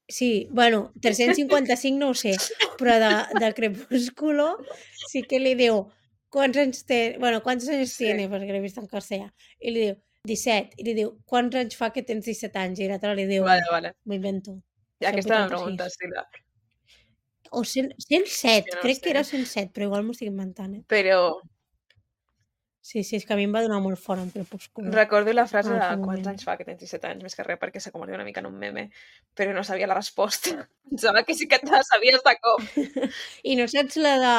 Sí, 355 no ho sé, però de Crepúsculo sí que li diu quants anys tiene, perquè l'he vist en castellà, i li diu 17, i li diu quants anys fa que tens 17 anys, i l'altre li diu, m'ho invento. Aquesta me pregunta, Estila. O 107, crec que era 107, però igual m'ho estic inventant, Però... Sí, és que a mi em va donar molt fort en Crepúsculo. Recordo la frase de quants anys fa que tens 17 anys, més que res perquè s'ha convertit una mica en un meme, però no sabia la resposta. Pensava que sí que te la sabies de cop. I no saps la de...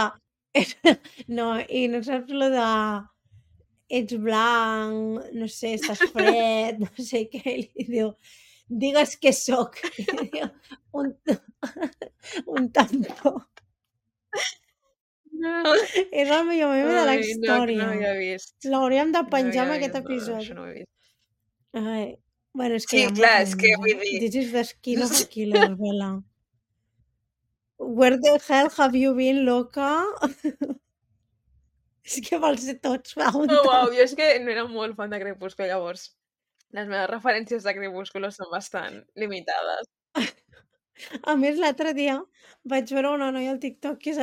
No, i no saps la de... Ets blanc, no sé, estàs fred, no sé què, i li diu, digues què soc. I diu, un tampó. No. És el millor meme de la història. No havia vist. L'hauríem de penjar en aquest episodi. Això no ho he vist. És que sí, clar, és que vull dir... This is the skin of a killer, Bella. Where the hell have you been, loca? És que vols ser tots preguntant. Uau, jo és que no era molt fan de Crepúsculo, llavors. Les meves referències de Crepúsculo són bastant limitades. A més, l'altre dia vaig veure una noia al TikTok que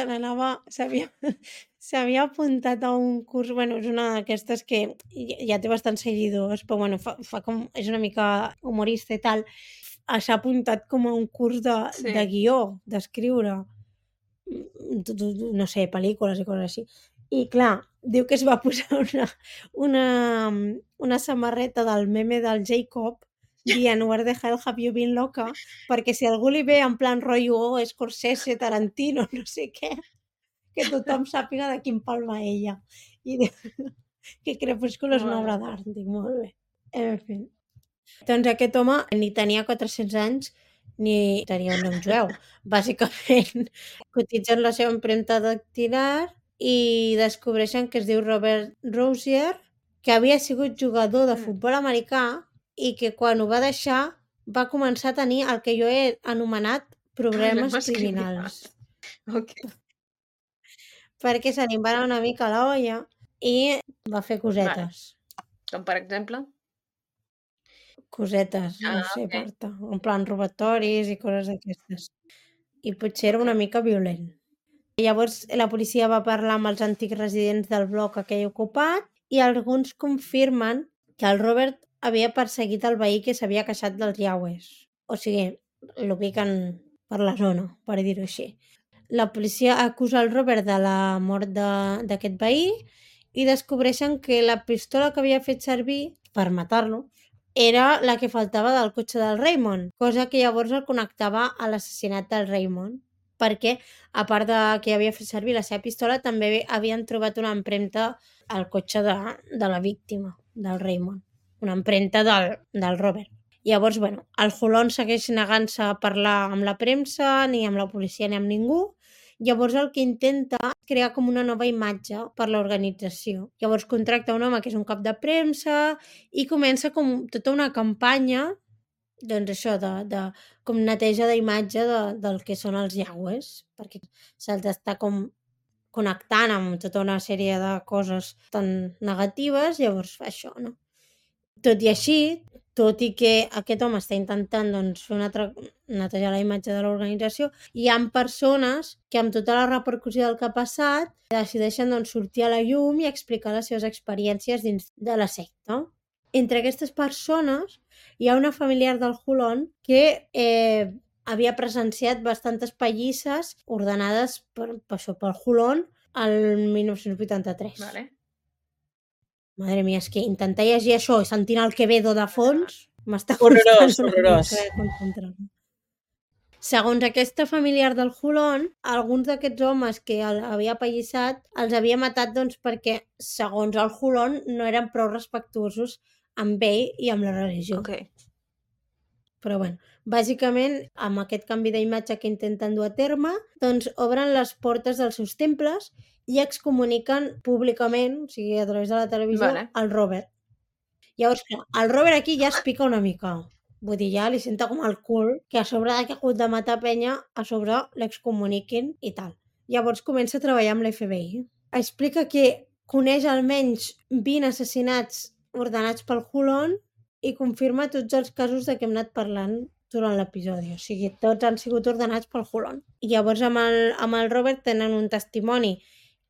s'havia apuntat a un curs, és una d'aquestes que ja té bastants seguidors, però és una mica humorista i tal. s'ha apuntat com a un curs de Sí. guió, d'escriure, no sé, pel·lícules i coses així. I clar, diu que es va posar una samarreta del meme del Jacob dient "Where the hell have you been, loca?", perquè si algú li ve en plan rotllo Scorsese, Tarantino, no sé què, que tothom sàpiga de quin pal va ella. I diu que Crepúsculo és una obra d'art. Dic, molt bé. En fi. Doncs aquest home ni tenia 400 anys ni tenia un nom jueu. Bàsicament, cotitzen la seva empremta dactilar i descobreixen que es diu Robert Rosier, que havia sigut jugador de futbol americà i que quan ho va deixar va començar a tenir el que jo he anomenat problemes criminals. Ok. Perquè se li va anar una mica la olla i va fer cosetes. Com per exemple? Cosetes, no sé, ok. Marta. En plan robatoris i coses d'aquestes. I potser era una mica violent. Llavors la policia va parlar amb els antics residents del bloc aquell ocupat i alguns confirmen que el Robert havia perseguit el veí que s'havia queixat dels Yaues. O sigui, l'ubiquen per la zona, per dir-ho així. La policia acusa el Robert de la mort d'aquest veí i descobreixen que la pistola que havia fet servir per matar-lo era la que faltava del cotxe del Raymond, cosa que llavors el connectava a l'assassinat del Raymond, perquè, a part de que havia fet servir la seva pistola, també havien trobat una empremta al cotxe de la víctima, del Raymond, una empremta del Robert. Llavors, bueno, el Hulon segueix negant-se a parlar amb la premsa, ni amb la policia, ni amb ningú. Llavors el que intenta és crear com una nova imatge per l'organització. Llavors contracta un home que és un cap de premsa i comença com tota una campanya, doncs això, de com neteja d'imatge del que són els Yaues, perquè se'ls està com connectant amb tota una sèrie de coses tan negatives, llavors fa això, no? Tot i així, tot i que aquest home està intentant doncs, fer netejar la imatge de l'organització, hi ha persones que amb tota la repercussió del que ha passat decideixen doncs, sortir a la llum i explicar les seves experiències dins de la secta. Entre aquestes persones hi ha una familiar del Hulon que havia presenciat bastantes pallisses ordenades pel Hulon el 1983. Vale. Madre mia, és que intentar llegir això i sentint el Quevedo de fons m'està Horrorós, costant una horrorós. mica concentrar-me. Segons aquesta familiar del Hulon, alguns d'aquests homes que havia apallissat els havia matat doncs, perquè, segons el Hulon, no eren prou respectuosos amb ell i amb la religió. Ok. Però bueno, bàsicament, amb aquest canvi d'imatge que intenten dur a terme, doncs obren les portes dels seus temples i excomuniquen públicament, o sigui, a través de la televisió, el Robert. Llavors, clar, el Robert aquí ja es pica una mica. Vull dir, ja li senta com el cul que a sobre que ha hagut de matar penya, a sobre l'excomuniquin i tal. Llavors comença a treballar amb l'FBI. Explica que coneix almenys 20 assassinats ordenats pel Hulon i confirma tots els casos de què hem anat parlant durant l'episodi. O sigui, tots han sigut ordenats pel Hulon. I llavors amb el Robert tenen un testimoni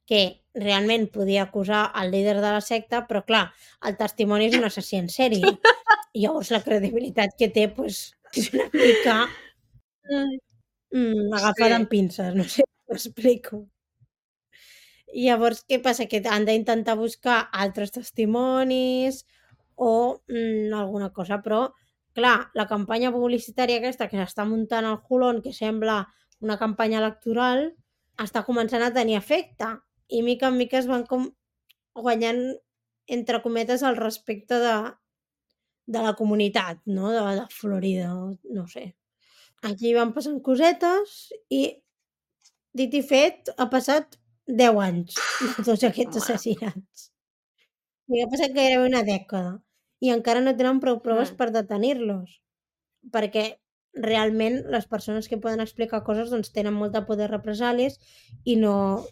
que realment podia acusar el líder de la secta, però clar, el testimoni és un assassí en sèrie. I llavors la credibilitat que té pues, és una mica agafada amb pinces, no sé si m'explico. I llavors què passa? Que han d'intentar buscar altres testimonis o alguna cosa, però clar, la campanya publicitària aquesta que s'està muntant al Hulon, que sembla una campanya electoral, està començant a tenir efecte i mica en mica es van com guanyant, entre cometes, el respecte de la comunitat, no? De Florida, no sé. Aquí van passant cosetes i, dit i fet, ha passat 10 anys de tots aquests assassinats. I ha passat gairebé una dècada i encara no tenen prou proves per detenir-los, perquè realment les persones que poden explicar coses doncs, tenen molta por de represàlies i no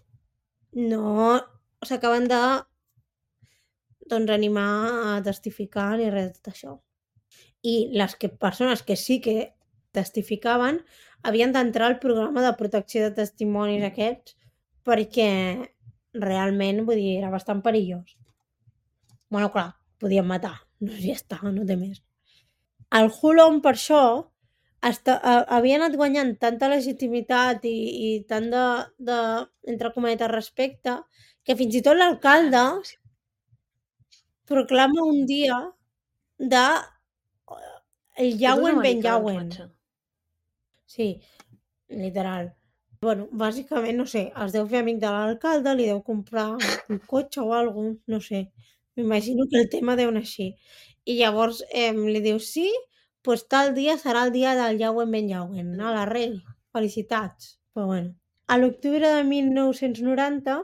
s'acaben de doncs, animar a testificar ni res de tot això. I les persones que sí que testificaven havien d'entrar al programa de protecció de testimonis aquests perquè realment, vull dir, era bastant perillós. Bueno, clar, podien matar, no, ja està, no té més. El Hulon, per això, havia anat guanyant tanta legitimitat i tant de entre cometes, respecte, que fins i tot l'alcalde proclama un dia de el Yawen Ben Yawen. Sí, literal. Bueno, bàsicament, no sé, es deu fer amic de l'alcalde, li deu comprar un cotxe o alguna cosa, no sé. M'imagino que el tema deu anar així. I llavors li diu, sí, doncs tal dia serà el dia del Yawen Ben Yawen, a la rei. Felicitats. Però bueno. A l'octubre de 1990,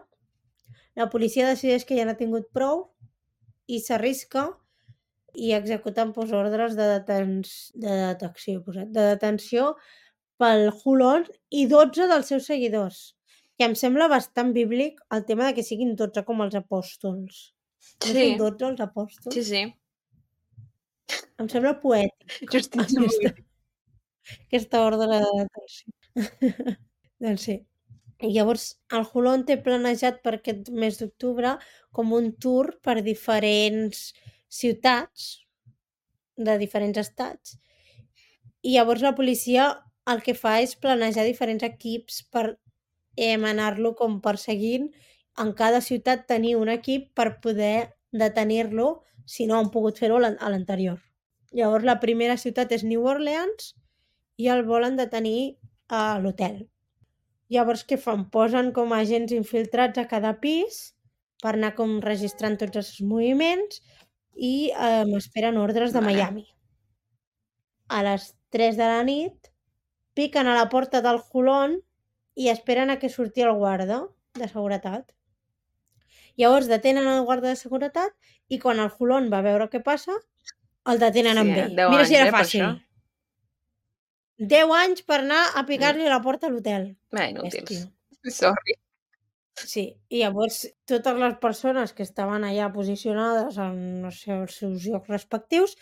la policia decideix que ja n'ha tingut prou i s'arrisca i executen ordres de detenció pel Hulon i 12 dels seus seguidors. Que em sembla bastant bíblic el tema de que siguin 12 com els apòstols. No Sí, són 12 els apòstols? sí, sí. Em sembla poètic Justíssim. aquesta ordre de detenció. Doncs sí. I llavors el Hulon té planejat per aquest mes d'octubre com un tour per diferents ciutats de diferents estats. I llavors la policia el que fa és planejar diferents equips per anar-lo com perseguint. En cada ciutat tenir un equip per poder detenir-lo si no han pogut fer-ho a l'anterior. Llavors la primera ciutat és New Orleans i el volen detenir a l'hotel. Llavors què fan? Posen com agents infiltrats a cada pis per anar com registrant tots els seus moviments i esperen ordres de Miami. A les 3 de la nit piquen a la porta del Hulon i esperen a que surti el guarda de seguretat. Llavors detenen el guarda de seguretat i quan el Hulon va veure què passa, el detenen amb ell. Mira si era fàcil. 10 anys per anar a picar-li a la porta a l'hotel. Inútils. Sorry. Sí, i llavors totes les persones que estaven allà posicionades en els seus llocs respectius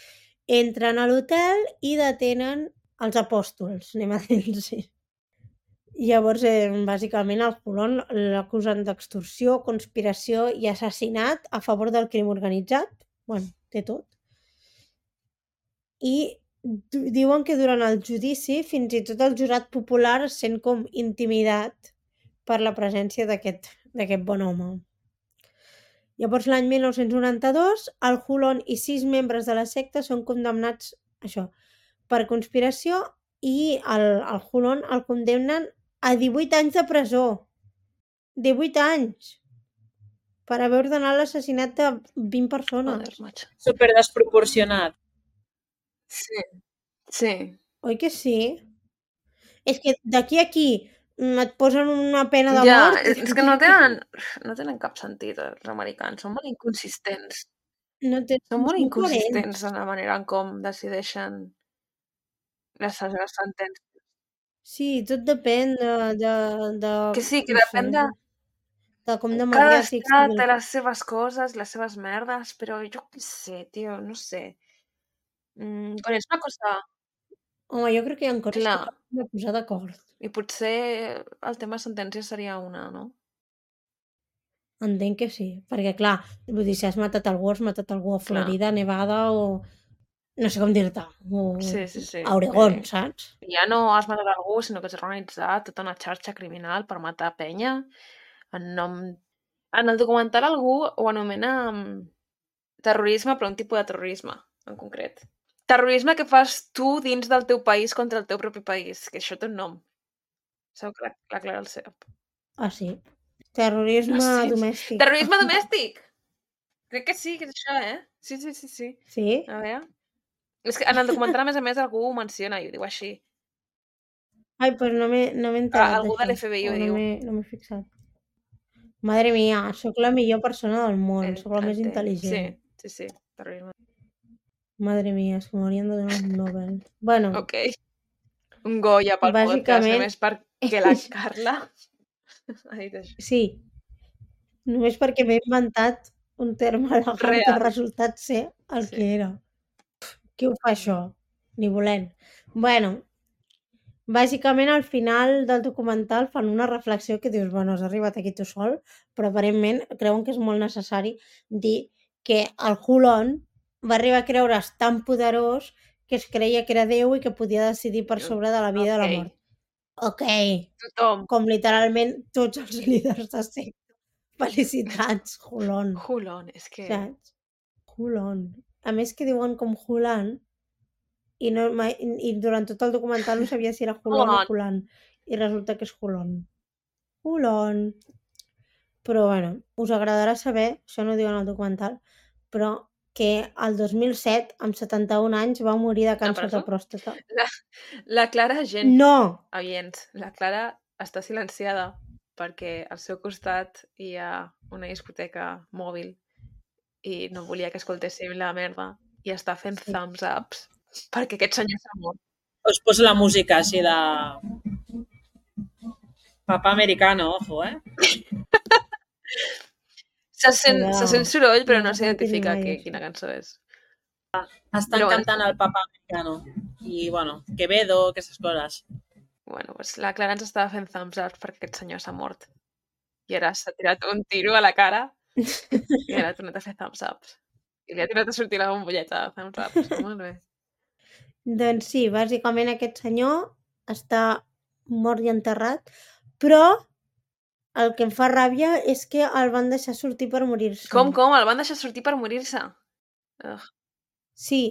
entren a l'hotel i detenen els apòstols, anem a dir-los. Llavors, bàsicament, el Hulon l'acusen d'extorsió, conspiració i assassinat a favor del crim organitzat. Bueno, té tot. I diuen que durant el judici fins i tot el jurat popular es sent com intimidat per la presència d'aquest bon home. Llavors, l'any 1992, el Hulon i 6 membres de la secta són condemnats per conspiració i el Hulon el condemnen a 18 anys de presó. 18 anys! Per haver ordenat l'assassinat de 20 persones. Super desproporcionat. Sí. Oi que sí? És que d'aquí a aquí et posen una pena de mort... Ja, és que no tenen cap sentit els americans, són molt inconsistents. Són molt inconsistents en la manera en com decideixen les seves sentències. Sí, tot depèn de... Que sí, que depèn de... com de cada estat té les seves coses, les seves merdes, però jo què sé, tio, no sé. Quan és una cosa... Home, jo crec que hi ha coses que hem de posar d'acord. I potser el tema sentència seria una, no? Entenc que sí, perquè clar, vull dir, si has matat algú, has matat algú a Florida, Nevada o... no sé com dir-te, o a Oregon, saps? Ja no has matat algú, sinó que has organitzat tota una xarxa criminal per matar penya en nom... En el documental algú ho anomena terrorisme, però un tipus de terrorisme, en concret. Terrorisme que fas tu dins del teu país contra el teu propi país, que això té un nom. Sabeu que la Clara el sap. Ah, sí? Terrorisme domèstic. Terrorisme domèstic! Crec que sí, que és això, Sí. Sí? A veure... És que en el documental, a més, algú ho menciona i ho diu així. Ai, doncs no m'he enterat algú de l'FBI ho diu. No m'he fixat. Madre mia, sóc la millor persona del món, sóc la més intel·ligent. Sí, terrorisme. Madre mia, és que m'haurien de donar un Nobel. Bueno. Ok. Un Goya pel podcast, només perquè la Carla ha dit això. Sí. Només perquè m'he inventat un terme legal que ha resultat ser el que era. Qui ho fa això? Ni volent. Bueno, bàsicament al final del documental fan una reflexió que dius, bueno, has arribat aquí tu sol, però aparentment creuen que és molt necessari dir que el Hulon va arribar a creure's tan poderós que es creia que era Déu i que podia decidir per sobre de la vida i la mort. Ok, Tothom. com literalment tots els líders de secta. Felicitats, Hulon. Hulon, és que... Saps? Hulon. A més que diuen com Hulan i durant tot el documental no sabia si era Hulon o Hulan. I resulta que és Hulon. Hulon. Però bueno, us agradarà saber, això no ho diuen al documental, però que el 2007, amb 71 anys, va morir de càncer de pròstata. La Clara, gent... No! Oients, la Clara està silenciada perquè al seu costat hi ha una discoteca mòbil i no volia que escoltéssim la merda i està fent thumbs ups perquè aquest senyor s'ha mort. Us poso la música així de... Papà americano, ojo, Se sent soroll, però no s'identifica quina cançó és. Estan cantant el Papà americano. I, bueno, Quevedo, aquestes coses. Bueno, doncs la Clara ens estava fent thumbs up perquè aquest senyor s'ha mort. I ara s'ha tirat un tiro a la cara i ara ha tornat a fer thumbs ups. I li ha tirat a sortir la bombolleta de thumbs ups. Molt bé. Doncs sí, bàsicament aquest senyor està mort i enterrat, però el que em fa ràbia és que el van deixar sortir per morir-se. Com? El van deixar sortir per morir-se? Sí,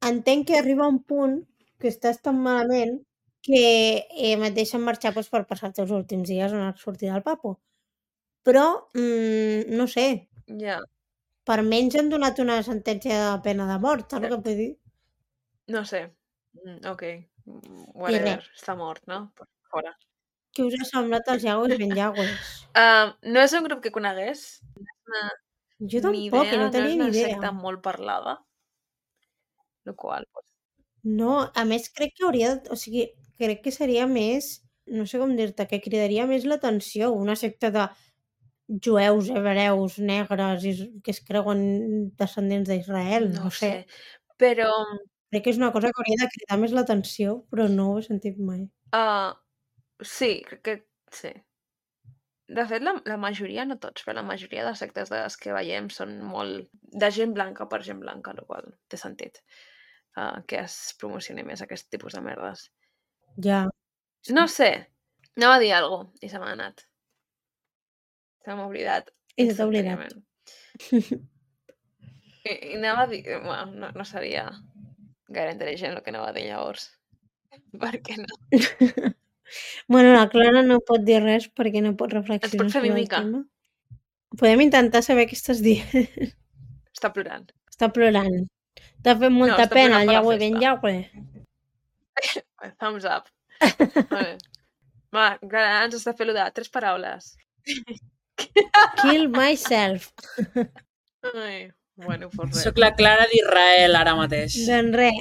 entenc que arriba un punt que estàs tan malament que et deixen marxar per passar els teus últims dies on has sortit del papo. Però, no sé. Ja. Per menys han donat una sentència de pena de mort, saps el que vull dir? No sé. Ok. Whatever. Està mort, no? Fora. Què us ha semblat els Yagües ben Yagües? No és un grup que conegués. Jo tampoc, no tenia ni idea. No és una secta molt parlada. Lo qual, pues... No, a més crec que hauria... O sigui, crec que seria més... No sé com dir-te, que cridaria més l'atenció. Una secta de jueus, hebreus, negres, que es creuen descendents d'Israel. No sé. Però... Crec que és una cosa que hauria de cridar més l'atenció, però no ho he sentit mai. Sí, crec que sí. De fet, la majoria, no tots, però la majoria de sectes de les que veiem són molt de gent blanca per gent blanca, el qual té sentit que es promocioni més aquest tipus de merdes. Ja. No sé, anava a dir alguna cosa i se m'ha anat. Se m'ha oblidat. I se t'ha oblidat. I anava a dir... Bueno, no seria gaire intel·ligent el que anava a dir llavors. Per què no? Bueno, la Clara no pot dir res perquè no pot reflexionar sobre el tema. Podem intentar saber què estàs dient. Està plorant. Està plorant. T'ha fet molta pena el Yahweh ben Yahweh. Thumbs up. Va, Clara, ens està fent 3 paraules. Kill myself. Ai, bueno, pues res. Soc la Clara d'Israel ara mateix. Doncs res.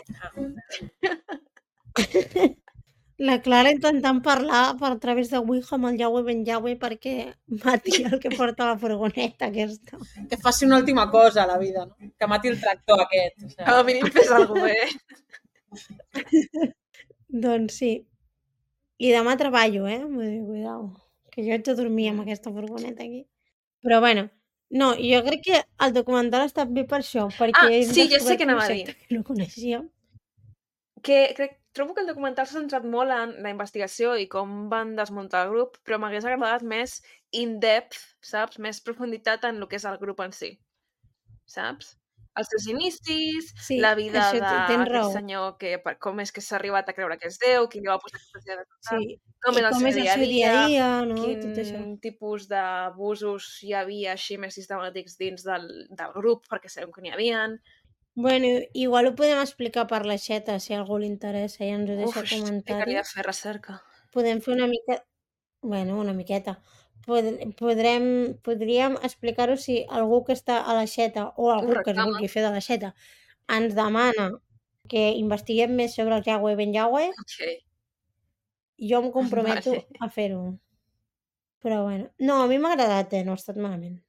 La Clara intentant parlar per a través de Ouija amb el Yahweh ben Yahweh perquè mati el que porta la furgoneta aquesta. Que faci una última cosa a la vida, no? Que mati el tractor aquest. O sigui. A mínim fes alguna cosa bé. Doncs sí. I demà treballo, Vull dir, cuidao. Que jo haig de dormir amb aquesta furgoneta aquí. Però bueno, no, jo crec que el documental ha estat bé per això, perquè sí, ja sé què anava a dir. Que no coneixíem. Trobo que el documental s'ha centrat molt en la investigació i com van desmuntar el grup, però m'hagués agradat més in-depth, saps? Més profunditat en el que és el grup en si, saps? Els seus inicis, sí, la vida d'aquest senyor, com és que s'ha arribat a creure que és Déu, qui li va posar aquesta idea de total, com és el seu dia a dia, no? Quin tipus d'abusos hi havia així més sistemàtics dins del grup, perquè sabem que n'hi havia. Bueno, igual ho podem explicar per la xeta, si a algú li interessa i ens ho deixa comentari. Uf, fer recerca. Podem fer una mica... Bueno, una miqueta. Podríem explicar-ho si algú que està a la xeta o algú que es vulgui fer de la xeta ens demana que investiguem més sobre el Yahweh ben Yahweh. Okay. Jo em comprometo a fer-ho. Però bueno, no, a mi m'ha agradat, no ha estat malament.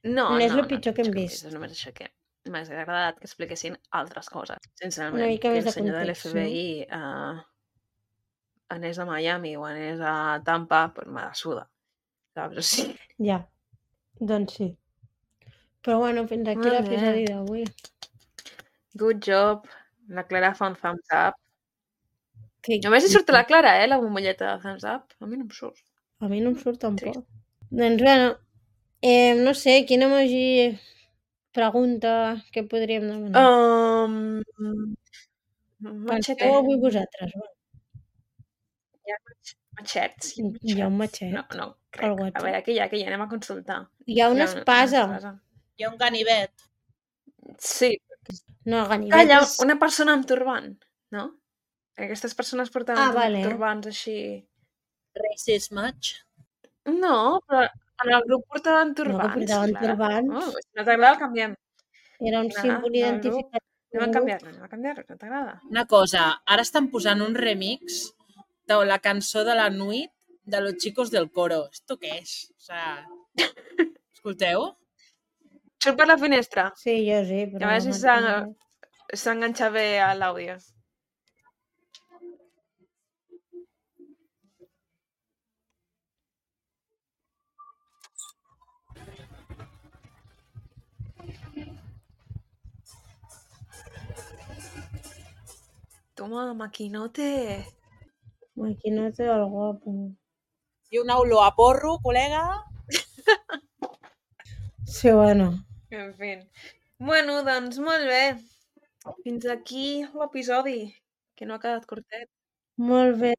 No és el pitjor que hem vist. És només això que m'hagués agradat que expliquessin altres coses. Sincerament, una mica més que el senyor de l'FBI anés a Miami o anés a Tampa, pues me la suda. Saps? O sigui... Ja, doncs sí. Però bueno, fins aquí l'episodi d'avui. Good job, La Clara fa un thumbs up. Que... Només hi surt la Clara, la bombolleta de thumbs up. A mi no em surt. A mi no em surt tampoc. Doncs bueno, no sé, quin emoji pregunta que podríem demanar. Machete. Penseu avui vosaltres. Va. Hi ha matxets. Hi ha un matxet No, al crec. A WhatsApp. veure, què hi ha? Anem a consultar. Hi ha una espasa. Hi ha un ganivet. Sí. No, Calla, ganivet és... una persona amb turbant, no? Aquestes persones portaven vale. turbants així... Racist much? No, però en el grup portaven No, que turbants. portaven Clara. turbants. Si no t'agrada, el canviem. Era un símbol identificat. Anem a canviar-lo, no t'agrada? Una cosa, ara estan posant un remix de la cançó de la Nuit de Los Chicos del Coro. ¿Esto qué es? O sea, escolteu? Surt per la finestra. Sí, jo sí, però... A veure si s'enganxa bé a l'àudio. Toma, maquinote. Maquinote del guapo. I una olor a porro, col·lega. Sí, bueno. En fi. Bueno, doncs molt bé. Fins aquí l'episodi, que no ha quedat curtet. Molt bé.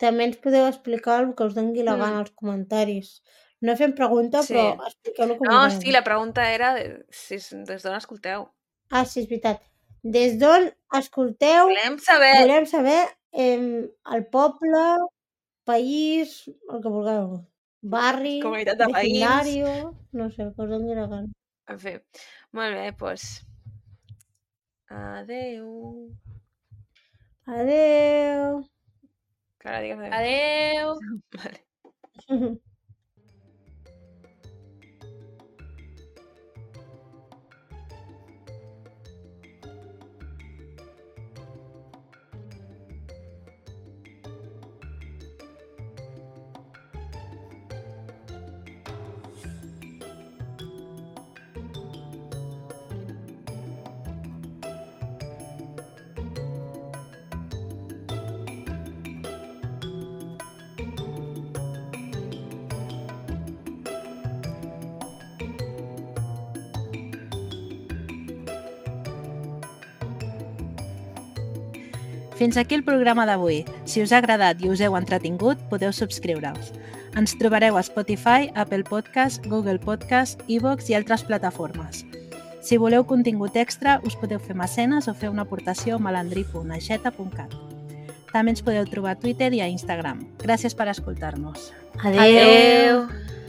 També ens podeu explicar el que us doni la gana als comentaris. No fem pregunta, Sí. però expliqueu-lo com No, vulgueu. sí, la pregunta era des d'on escolteu. Ah, sí, és veritat. Des d'on escolteu, Volem saber... volem saber el poble, país, el que vulgueu. Barri, Comunitat de veïns. vecindario, no sé, el que us doni la gana. En fi, molt bé, doncs... Adeu. Adeu. Clara, digues adeu. Adeu. Vale. Fins aquí el programa d'avui. Si us ha agradat i us heu entretingut, podeu subscriure-us. Ens trobareu a Spotify, Apple Podcast, Google Podcast, iVoox i altres plataformes. Si voleu contingut extra, us podeu fer mecenes o fer una aportació a malandri.aixeta.cat. També ens podeu trobar a Twitter i a Instagram. Gràcies per escoltar-nos. Adeu. Adeu.